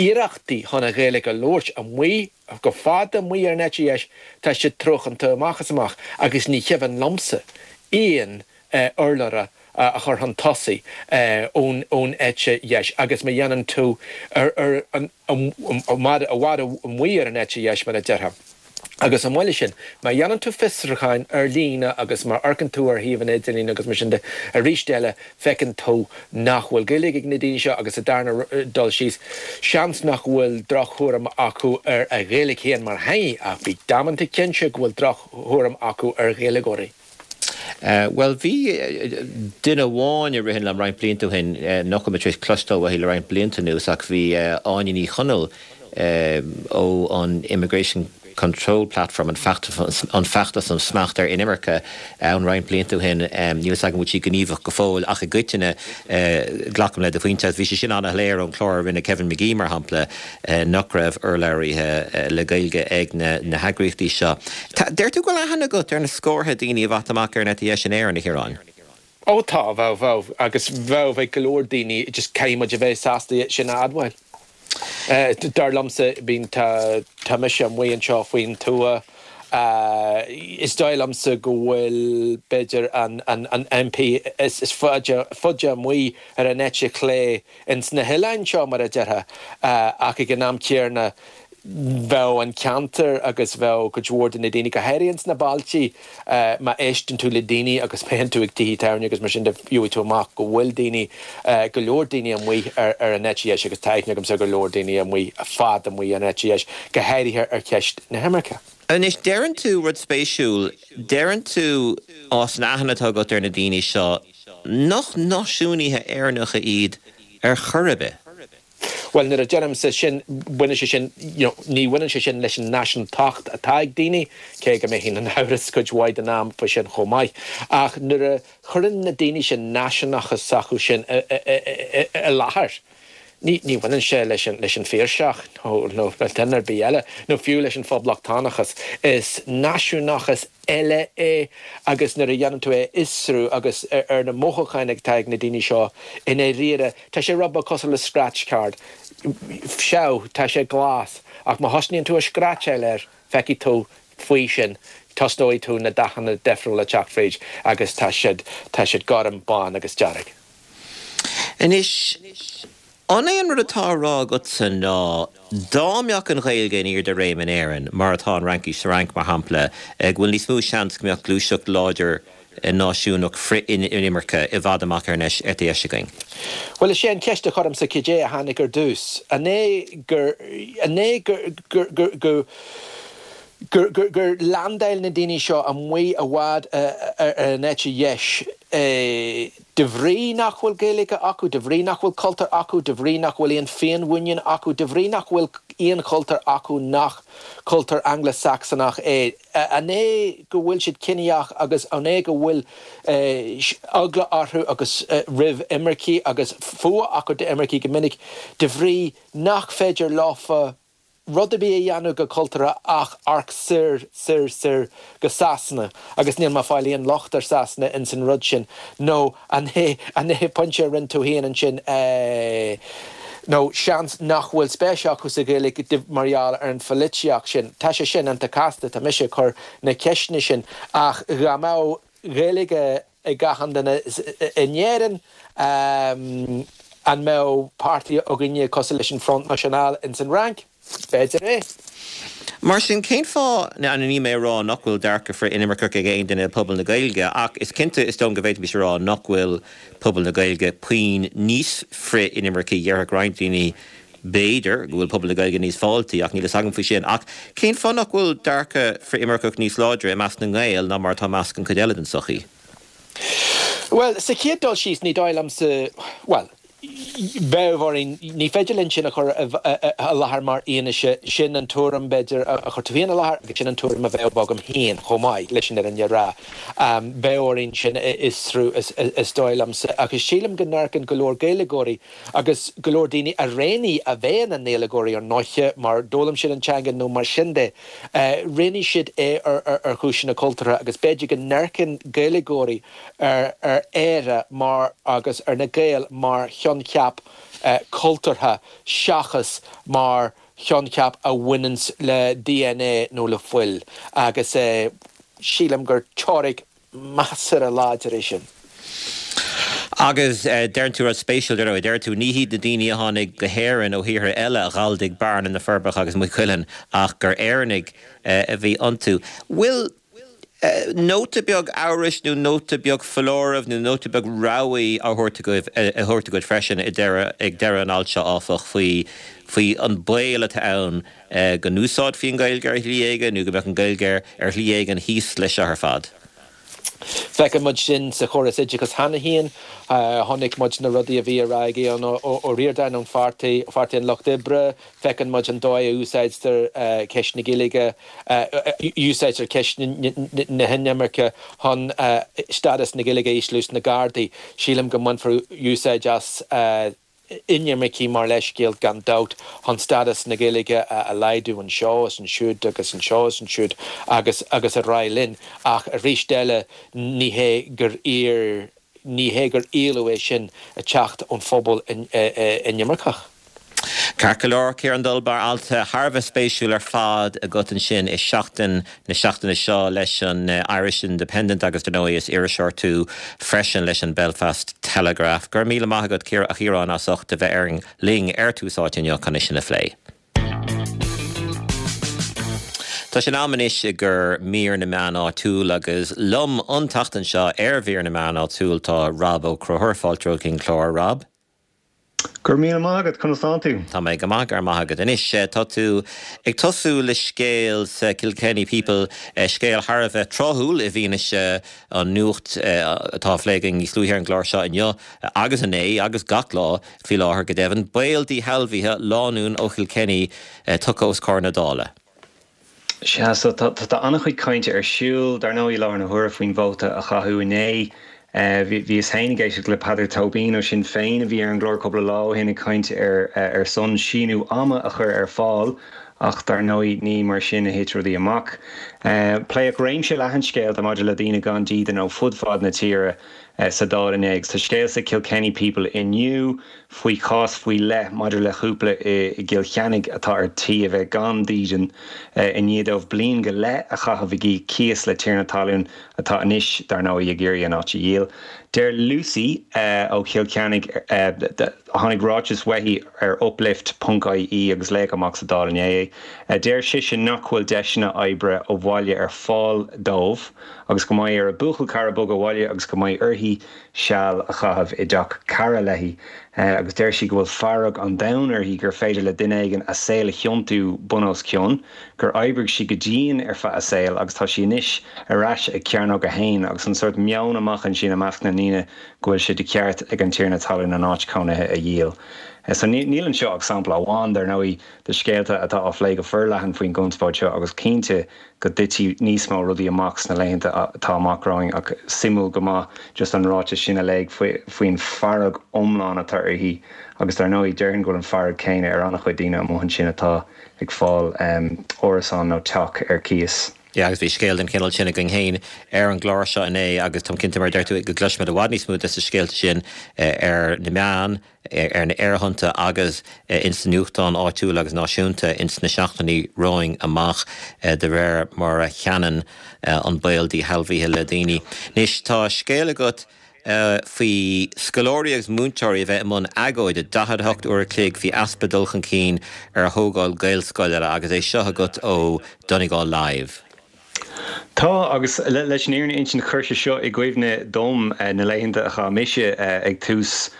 iarrachtaí chun an Ghaeilge a labhairt amuigh, go fada amuigh ar an eite dheis, tá siad truacánta amach is amach agus ní cuimhin liomsa aon urlabhra a chur chun tosaigh ón eite dheis agus má dhéanann tú ar i bhfad amuigh ar an eite dheis mar a déarfá. Agus chomh maith leis sin, má dhéanann tú fiosrúcháin ar líne agus má amharcann tú ar shuíomhanna idirlín agus mar sin de, arís eile feiceann tú nach bhfuil Gaeilge ag na daoine seo agus sa darna dul síos, seans nach bhfuil drochthuairim acu ar an Ghaeilge féin mar theanga ach bí damanta cinnte go bhfuil drochthuairim acu ar Ghaeilgeoirí. Bhuel, bhí duine amháin a ritheann liom roinnt blianta ó shin, nach bhfuil mé tar éis cloisteáil uaithi le roinnt blianta anuas ach bhí Áine Ní Chonaill ó an Immigration Control Platform, an feachtas um smacht ar inimirce, ann roinnt blianta ó shin. Níl fhios agam an bhfuil sí gníomhach go fóill ach i gcoitinne glacaim le do phointe agus bhí sé sin an-shoiléir ón chlár a rinne Kevin McGee mar shampla nach raibh urlabhraithe le Gaeilge ag na heagraíochtaí seo. Deir tú go bhfuil aithne agat ar na scórtha daoine a bheadh amach ar an eite dheis in Éirinn, a Chiaráin? Ó tá, bheadh, bheadh, agus bheadh ag go leor daoine, just caithfidh muid a bheith sásta sin a admháil. Dar liomsa, bíonn, tá, tá mise amuigh anseo faoin tuath, is dóigh liomsa go bhfuil, b'fhéidir, an, an, an MP is, is faide, faide amuigh ar an eite chlé ins na hoileáin seo, mar a déarfá, ach ag an am céanna, bheadh an ceantar agus bheadh cuid mhór de na daoine, go háirithe ins na bailtí, má éisteann tú le daoine agus má théann tú ag tithe tábhairne agus mar sin de, gheobhaidh tú amach go bhfuil daoine, go leor daoine amuigh ar ar an eite dheis agus tá aithne agamsa ar go leor daoine amuigh, fada amuigh ar an eite dheis, go háirithe ar cheist na himirce. Anois deireann tú rud spéisiúil, deireann tú as an aithne atá agat ar na daoine seo nach náisiúnaithe Éireannacha iad ar chor ar bith. Bhuel nuair a deirimse sin baineann sé sin you know, ní bhaineann sé sin leis an náisiúntacht atá ag daoine, cé go mbeinn in amhras cuid mhaith den am faoi sin chomh maith. Ach nuair a chuireann na daoine sin náisiúnachas s'acu sin i láthair. Ní ní bhaineann sé leis an leis an Phiarsach nó nó le duine ar bith eile, nó fiú leis an phoblachtánachas. Is náisiúnachas eile é agus nuair a dhéanann tú é a fhiosrú agus ar ar na mothúcháin atá ag na daoine seo i ndáiríre, tá sé rud beag cosúil le scratch card. Sea, tá sé glas, ach má thosnaíonn tú ag scratcháil air, feicfidh tú faoi sin, tosnóidh tú na dathanna difriúla teacht fríd agus tá siad tá siad gorm, bán agus dearg. Anois, an é an rud atá á rá agatsa ná dá mbeadh an Ghaeilge in airde réim in Éirinn, mar atá an Fhraincis sa Fhrainc, mar shampla, go bhfuil níos mó seans go mbeadh gluaiseacht láidir náisiúnach frith-inimirce i bhfad amach ar an eite dheis againn? Bhuel, is é an cheist a chuirimse cad é a tháinig ar dtús. An é gur an é gur gur gur gur gur gur gur landáil na daoine seo amuigh i bhfad ar an eite dheis de bhrí nach bhfuil Gaeilge acu, de bhrí nach bhfuil cultúr acu, de bhrí nach bhfuil aon féinmhuinín acu, de bhrí nach bhfuil aon chultúr acu nach cultúr Angla-Sacsanach é. An é go bhfuil siad ciníoch agus an é go bhfuil eagla orthu agus roimh imircigh agus fuath acu d'imircigh go minic de bhrí nach féidir leofa rud ar bith a dhéanamh go cultúrtha ach amharc soir, soir, soir go Sasana agus níl mé ag fáil aon locht ar Sasana ins an rud sin nó an é an é pointe a rinne tú féin ansin nó seans nach bhfuil spéis acu sa Ghaeilge mar gheall ar an pholaitíocht sin. Tá sé sin iontach casta, tá mise ag cur na ceisteanna sin ach dá mbeadh Gaeilge ag gach aon duine in Éirinn an mbeadh páirtí againne cosúil leis an Front National ins an Fhrainc? B'fhéidir é. Mar sin, cén fáth, nó níl mé ag rá nach bhfuil dearcadh frith-inimirceach ag aon duine i bpobal na Gaeilge, ach is cinnte, is dóigh go bhféadfaimis a rá nach bhfuil pobal na Gaeilge puinn níos frith-inimircí, déarfadh roinnt daoine, b'fhéidir, go bhfuil pobal na Gaeilge níos fáiltí, ach níl fhios agam faoi sin. Ach cén fáth nach bhfuil dearcadh frith-imirceach níos láidre i measc na nGael ná mar atá i measc an chuid eile den tsochaí? Bhuel, sa chéad dul síos, ní dóigh liomsa, bhuel, bheadh orainn, ní féidir linn sin a chur i láthair mar fhianaise, sin an tuairim, b'fhéidir, a chuir tú féin i láthair agus sin an tuairim a bheadh agam féin chomh maith, leis an fhírinne a rá. Bheadh orainn sin a fhiosrú, is dóigh liomsa. Ach sílim go n-amharcann go leor Gaeilgeoirí agus go leor daoine a roghnaigh a bheith ina nGaeilgeoirí ar ndóiche mar d'fhoghlaim siad an teanga nó mar sin de, roghnaigh siad é ar chúiseanna cultúrtha agus b'fhéidir go n-amharcann Gaeilgeoirí ar Éire mar agus ar na Gaeil mar choincheap cultúrtha seachas mar choincheap a bhaineanns le dna nó le fuil agus sílim gur teoiric measartha láidir é sin. Agus deireann tú rud spéisiúil, dar ndóigh. Deir tú, ní hiad na daoine a tháinig go hÉirinn ó thíortha eile a ghalldaigh Bearna, na Forbacha agus Maigh Cuilinn ach gur Éireannaigh a bhí iontu. Bhfuil nóta beag amhrais nó nóta beag foláirimh nó nóta beag rabhaidh á thabhairt agaibh, á thabhairt agat freisin ag deireadh, ag deireadh an ailt seo, áfach, faoi, faoi an baol atá ann go n-úsáidfí an Ghaeilge ar shlí éigin nó go mbeadh an Ghaeilge ar shlí éigin thíos leis seo ar fad? Feiceann muid sin sa chóras oideachais cheana féin. Chonaic muid na rudaí a bhí á rá ag Aodhán Ó Ríordáin ón pháirtí, Pháirtí an Lucht Oibre. Feiceann muid an dóigh a úsáidtear ceist na Gaeilge, úsáidtear ceist na hinimirce chun stádas na Gaeilge a ísliú sna Gardaí. Sílim go mbainfear úsáid as inimircigh mar leithscéal gan dabht chun stádas na Gaeilge a laghdú anseo is ansiúd agus anseo is ansiúd agus agus ar aghaidh linn ach arís eile ní hé gur iar ní hé gur éileamh é sin ag teacht ón phobal inimirceach. Ceart go leor, Ciarán Dunbar, alt thar a bheith spéisiúil ar fad agat ansin i Seachtain na seachtaine seo leis an Irish Independent agus dar ndóigh is iriseoir tú freisin leis an Belfast Telegraph. Go raibh míle maith agat a Chiaráin as ucht a bheith ar linn ar Tús Áite inniu chun é sin a phlé. Tá sé in am anois i gcomhair mír na meán áitiúil agus liom an tseachtain seo ar mhír na meán áitiúil tá Rob Ó Conchúir, fáilte romhat chuig an chlár, Rob. Go raibh míle maith agat, conas tánn tú? Tá mé go maith, go raibh maith agat. Anois, tá tú ag tosú le scéal sa Kilkenny People, scéal thar a bheith tráthúil i bhfianaise an nuacht atá á phlé againn níos luaithe ar an gclár seo inniu agus inné agus gach lá faoi láthair go deimhin. Baol díshealbhaithe lánúin ó Chilkenny tugtha os comhair na Dála. Sea, so tá tá an-chuid cainte ar siúl dar ndóigh i láthair na huaire faoin vóta a chaitheadh inné. Bhíos féin ag éisteacht le Peadar Tóibín ó Sinn Féin a bhí ar an gclár cúpla lá ó shin ag caint ar ar son síneadh ama a chur ar fáil ach dar ndóigh ní mar sin a thit rudaí amach. Pléadh réimse leathan scéalta maidir le daoine gan dídean ó fud fad na tíre sa Dáil inné agus tá scéal sa Kilkenny People inniu faoi chás faoi leith maidir le cúpla i gCill Chainnigh atá ar tí a bheith gan dídean i ndiaidh dóibh bliain go leith a chaitheamh ag íoc cíos le tiarna talún atá anois, dar ndóigh, ag iarraidh an áit a dhíol. Deir Lucy ó Chill Chainnigh, tháinig ráiteas uaithi ar uplift ponc ie agus léadh amach sa Dáil inné é, deir sise nach bhfuil deiseanna oibre ó bhaile ar fáil dóibh agus go mbeidh ar a buachaill cara bogadh abhaile agus go mbeidh uirthi seal a chaitheamh i dteach cara léi agus deir sí go bhfuil fearg an domhain uirthi gur féidir le duine éigin a saol a thiontú bun os cionn, gur oibrigh sí go dian ar feadh a saoil agus tá sí anois ar ais ag Cearnóg a hAon agus an sórt meon amach ansin i measc na ndaoine go bhfuil sé de cheart ag an tiarna talún an áit chónaithe a dhíol. So níl anseo ach sampla amháin, dar ndóigh, de scéalta atá á phlé go forleathan faoin gconspóid seo agus cinnte go dtitfidh níos mó rudaí amach sna laethanta atá amach romhainn ach suimiúil go maith just an ráiteas sin a léamh faoin bhfearg iomlán atá uirthi agus dar ndóigh déarfainn go bhfuil an fearg céanna ar an-chuid daoine amuigh ansin atá ag fáil árasán nó teach ar cíos. Yeah, agus bhí scéal den chineál sin againn féin ar an gclár seo inné agus táim cinnte mar a deir tú go gcloisfimid i bhfad níos mó de na scéalta sin ar na meáin, ar na aerthonnta agus ins na nuachtáin áitiúla agus náisiúnta ins na seachtainí romhainn amach de réir mar a theannann an baol díshealbhaithe le daoine. Anois tá scéal agat faoi scoláirí agus múinteoirí a bheith i mbun agóide daichead a hocht uair a chloig faoi easpa dul chun cinn ar thógáil Gaelscoileanna agus é seo agat ó Donegal Live. Tá, agus leis an fhírinne a insint chuir sé seo i gcuimhne dom na laethanta a chaith mise ag tús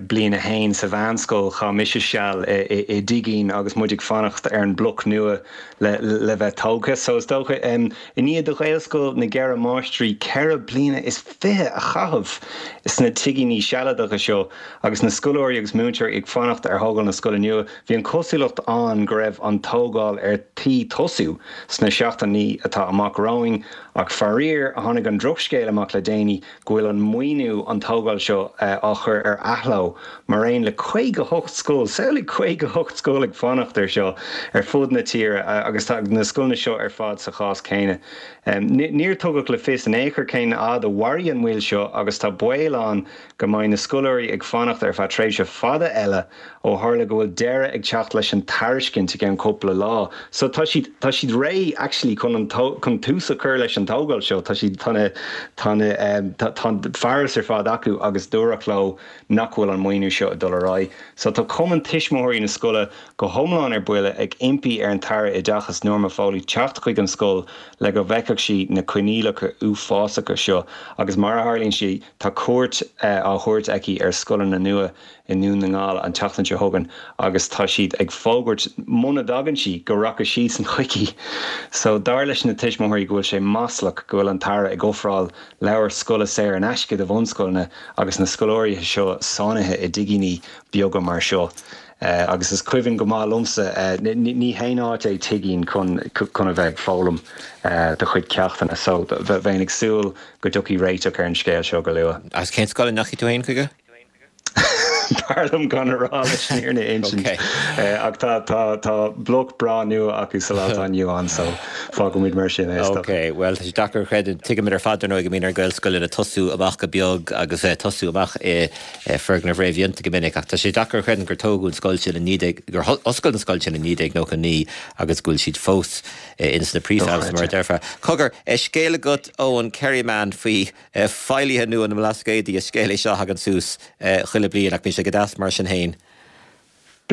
bliain a haon sa mheánscoil. Chaith mise seal i dtigín agus muid ag fanacht ar an mbloc nua le bheith tógtha. So is dócha, i ndiaidh do Ghaelscoil na gCeithre Máistrí ceithre bliana is fiche a chaitheamh sna tigíní sealadacha seo agus na scoláirí agus múinteoirí ag fanacht ar thógáil na scoile nua, bhí an chosúlacht ann go raibh an tógáil ar tí tosú sna seachtainí atá amach romhainn. Ach faraor, tháinig an drochscéal amach le déanaí go bhfuil an maoiniú an tógáil seo á chur ar athló, mar aon le caoga a hocht scoil, samhlaigh caoga a hocht scoil ag fanacht air seo ar fud na tíre agus tá na scoileanna seo ar fad sa chás céanna. Níor tugadh le fios in aon chor cén fhad a mhairfidh an mhoill seo agus tá baol ann go mbeidh na scoláirí ag fanacht ar feadh tréimhse fada eile ó tharla go bhfuil deireadh ag teacht leis an tairiscint i gceann cúpla lá. So tá siad tá siad réidh actually chun an chun tús a chur leis an tógáil seo. Tá siad tá na tá na tá tá an fearas ar fad acu agus dúradh leo nach bhfuil an maoiniú seo ag dul ar aghaidh. So tá Cumann Tuismitheoirí na scoile go hiomlán ar buile ag impí ar an tAire Oideachais Norma Foley teacht chuig an scoil le go bhfeicfeadh sí na coinníollacha uafásacha seo agus mar a tharlaíonn sé tá cuairt á thabhairt aici ar scoileanna nua i nDún na nGall an tseachtain seo chugainn agus tá siad ag fógairt muna dtagann sí go rachaidh siadsan chuici. So dar leis na tuismitheoirí go bhfuil sé maslach go bhfuil an tAire ag ofráil leabhair scoile saor in aisce do bhunscoileanna agus na scoláirí seo sáinnithe i dtigíní beaga mar seo. Agus is cuimhin go maith liomsa, ní haon áit é tigín chun chun a bheith ag foghlaim do chuid ceachtanna, so bheinn ag súil go dtiocfaidh réiteach ar an scéal seo go luath. Agus cén scoil a ndeachaigh tú féin chuige? B'fhearr liom gan a rá leis an fhírinne a insint. Ach tá tá tá bloc breá nua acu sa lá atá inniu ann so fágfaimid mar sin é is dócha. Ok, bhuel tá sé deacair a chreidiúint. Tuigimid ar fad dar ndóigh go mbíonn ar Ghaelscoileanna tosú amach go beag agus tosú amach i foirgnimh réamhdhéanta go minic ach tá sé deacair a chreidiúint gur tógadh an scoil sin i naoi déag, gur oscail an scoil sin i naoi déag nócha naoi agus go bhfuil siad fós ins na prefabs mar a déarfá. Cogar, scéal agat ó an Kerryman faoi feighlithe nua na mBlascaodaí, is scéal é seo a thagann suas chuile bliain ach bíonn sé go deas mar sin féin.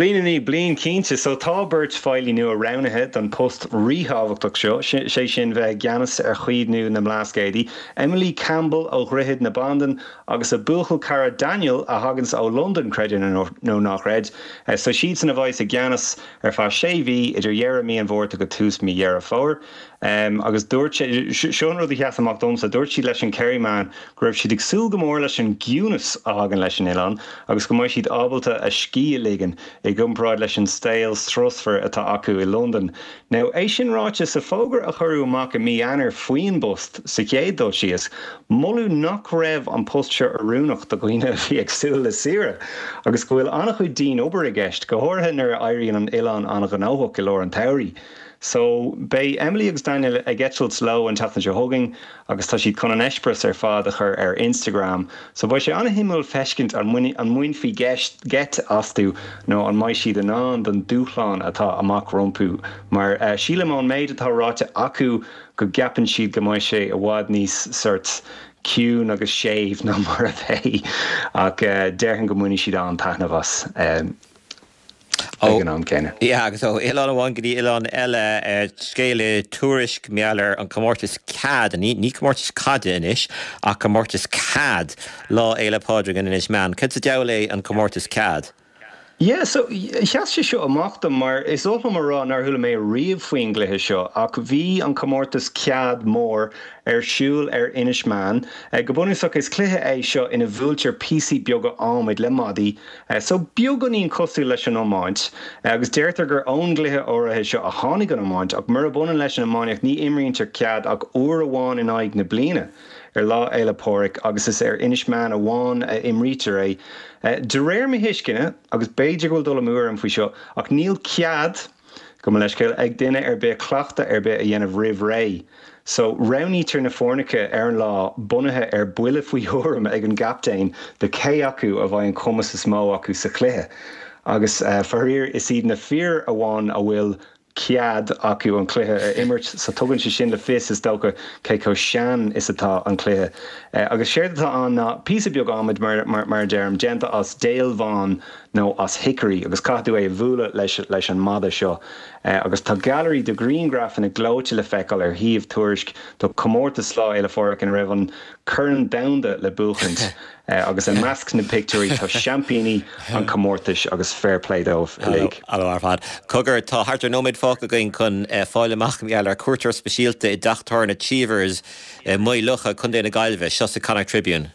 Bliain i ndiaidh bliain cinnte, so tá beirt feighlí nua roghnaithe don post ríthábhachtach seo, sé sin bheith i gceannas ar chaomhnú na mBlascaodaí, Emily Campbell ó Dhroichead na Bandan agus a buachaill cara Daniel a thaganns ó Londain, creid é nó ná creid. So siadsan a bheas i gceannas ar feadh sé mhí idir dheireadh mí an Mhárta go tús mí Dheireadh Fómhair. Agus dúirt sé, seo an rud a sheas amach domsa, dúirt siad leis an Kerryman go raibh siad ag súil go mór leis an gciúnas a thagann leis an oileán agus go mbeidh siad ábalta a scíth a ligean i gcomparáid leis an saol strusmhar atá acu i Londain. Now, é sin ráite, sa bhfógra a cuireadh amach i mí Eanáir faoin bpost sa chéad dul síos, moladh nach raibh an post seo oiriúnach do dhaoine a bhí ag súil le saoire agus go bhfuil an-chuid dian-obair i gceist, go háirithe nuair a éiríonn an oileán an-ghnóthach i lár an tsamhraidh. So, beidh Emily agus Daniel ag eitilt leo an tseachtain seo chugainn agus tá siad chun an eispéireas ar fad a chur ar Instagram. So beidh sé an-shuimiúil feiscint an mbainfí geit astu nó an mbeidh siad in ann don dúshlán atá amach rompu. Mar sílim ón méid atá ráite acu go gceapann siad go mbeidh sé i bhfad níos sort ciúin agus séimh ná mar a bheidh. Ach déarfainn go mbainfidh siad an-taitneamh as. ag an am céanna. Yeah, agus ó oileán amháin go dtí oileán eile, scéal i Tuairisc mar gheall ar an comórtas CAD, ní ní comórtas caide anois, ach comórtas CAD, Lá Fhéile Pádraig in Inis Meáin. Cad sa diabhal é an comórtas CAD? Yeah, so sheas sé seo amach dom mar is oth liom a rá nár chuala mé riamh faoin gcluiche seo ach bhí an comórtas CAD mór ar siúl ar Inis Meáin. Go bunúsach is cluiche é seo ina bhuailtear píosaí beaga adhmaid le maidí, so beagáinín cosúil leis an iomáint, agus deirtear gur ón gcluiche áirithe seo a tháinig an iomáint, ach murab ionann leis an iománaíocht ní imrítear CAD ach uair amháin in aghaidh na bliana, ar Lá Fhéile Pádraig, agus is ar Inis Meáin amháin a imrítear é. De réir mo thuisceana, agus b'fhéidir go bhfuil dul amú orm faoi seo, ach níl cead, gabh mo leithscéal, ag duine ar bith cleachtadh ar bith a dhéanamh roimh ré. So, roghnaítear na foirneacha ar an lá bunaithe ar buille faoi thuairim ag an gcaptaen de cé acu a bheidh an cumas is mó acu sa chluiche. Agus faraor, is iad na fir amháin a bhfuil cead acu an cluiche a imirt so tugann sé sin le fios, is dócha, cé chomh sean is atá an cluiche. Agus séard atá ann ná píosa beag adhmaid, mar mar a deirim, déanta as déil bhán nó as hickory agus caithfidh tú é a bhualadh leis leis an mada seo. Agus tá gailearaí de ghrianghrafanna gleoite le feiceáil ar shuíomh Tuairisc do chomórtas Lá Fhéile Phádraig ina raibh an Corn Domhanda le buachaint. Agus i measc na bpictiúirí tá seaimpíní an chomórtais agus fair play dóibh uilig. An-mhaith ar fad. Cogar, tá thart ar nóiméad fágtha againn chun fáil amach mar gheall ar cuairteoir speisialta i dteach tábhairne Cheevers i Maigh Locha, Contae na Gaillimhe. Seo sa Connacht Tribune.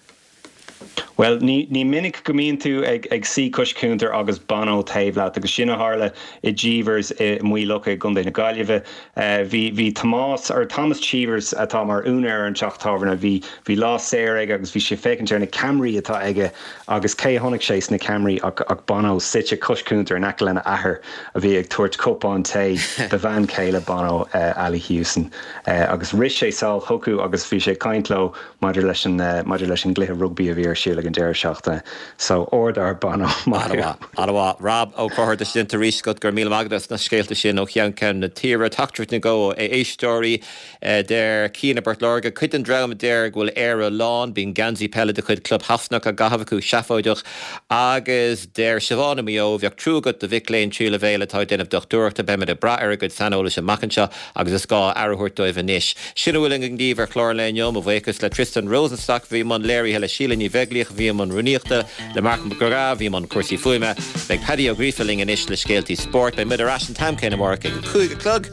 Bhuel, ní ní minic go mbíonn tú ag ag suí cois cuntair agus Bono taobh leat agus sin a tharla i Cheevers i Maigh Locha i gContae na Gaillimhe. Bhí bhí Tomás, or Thomas Cheevers atá mar úinéir ar an teach tábhairne, bhí bhí lá saor aige agus bhí sé ag féachaint ar na ceamaraí atá aige agus cé a chonaic sé sna ceamaraí ach ach Bono suite cois cuntair in aice lena athair a bhí ag tabhairt cupán tae do bhean chéile Bono, Ali Hewson. Agus rith sé sall chucu agus bhí sé ag caint leo maidir leis an maidir leis an gcluiche rugbaí a bhí ar siúl ag an deireadh seachtaine. So ard-fhear Bono, maith thú. An-mhaith, an-mhaith. Rob Ó Conchúir, tá sé déanta arís agat, go raibh míle maith agat as na scéalta sin ó cheann ceann na tíre. Teachtaireacht nó dhó ó éisteoirí. Deir Cian i bPort Láirge, cuid den dream a deir go bhfuil Éire lán, bíonn geansaí peile de chuid club Shasanach á gcaitheamh acu, seafóideach. Agus deir Siobhán i Maigh Eo, bheadh trua agat do mhic léinn tríú leibhéal atá ag déanamh dochtúireachta, beimid ag brath ar a gcuid saineolais amach anseo agus is gá aire a thabhairt dóibh anois. Sin a bhfuil againn daoibh ar chlár an lae inniu. Mo bhuíochas le Tristan Rosenstock a bhí i mbun léirithe, le Síle Ní Bheaglaoich a bhí i mbun rúnaíochta, le Marc Mac Graith a bhí i mbun cúrsaí fuaime. Beidh Paddy Ó Gríofa linn anois le scéaltaí spóirt. Beidh muid ar ais an t-am céanna amárach ag a cúig a chlog.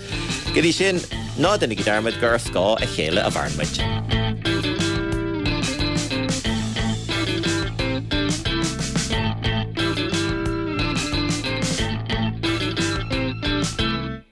Go dtí sin, ná déanaigí dearmad gur ar scáth a chéile a mhaireann muid.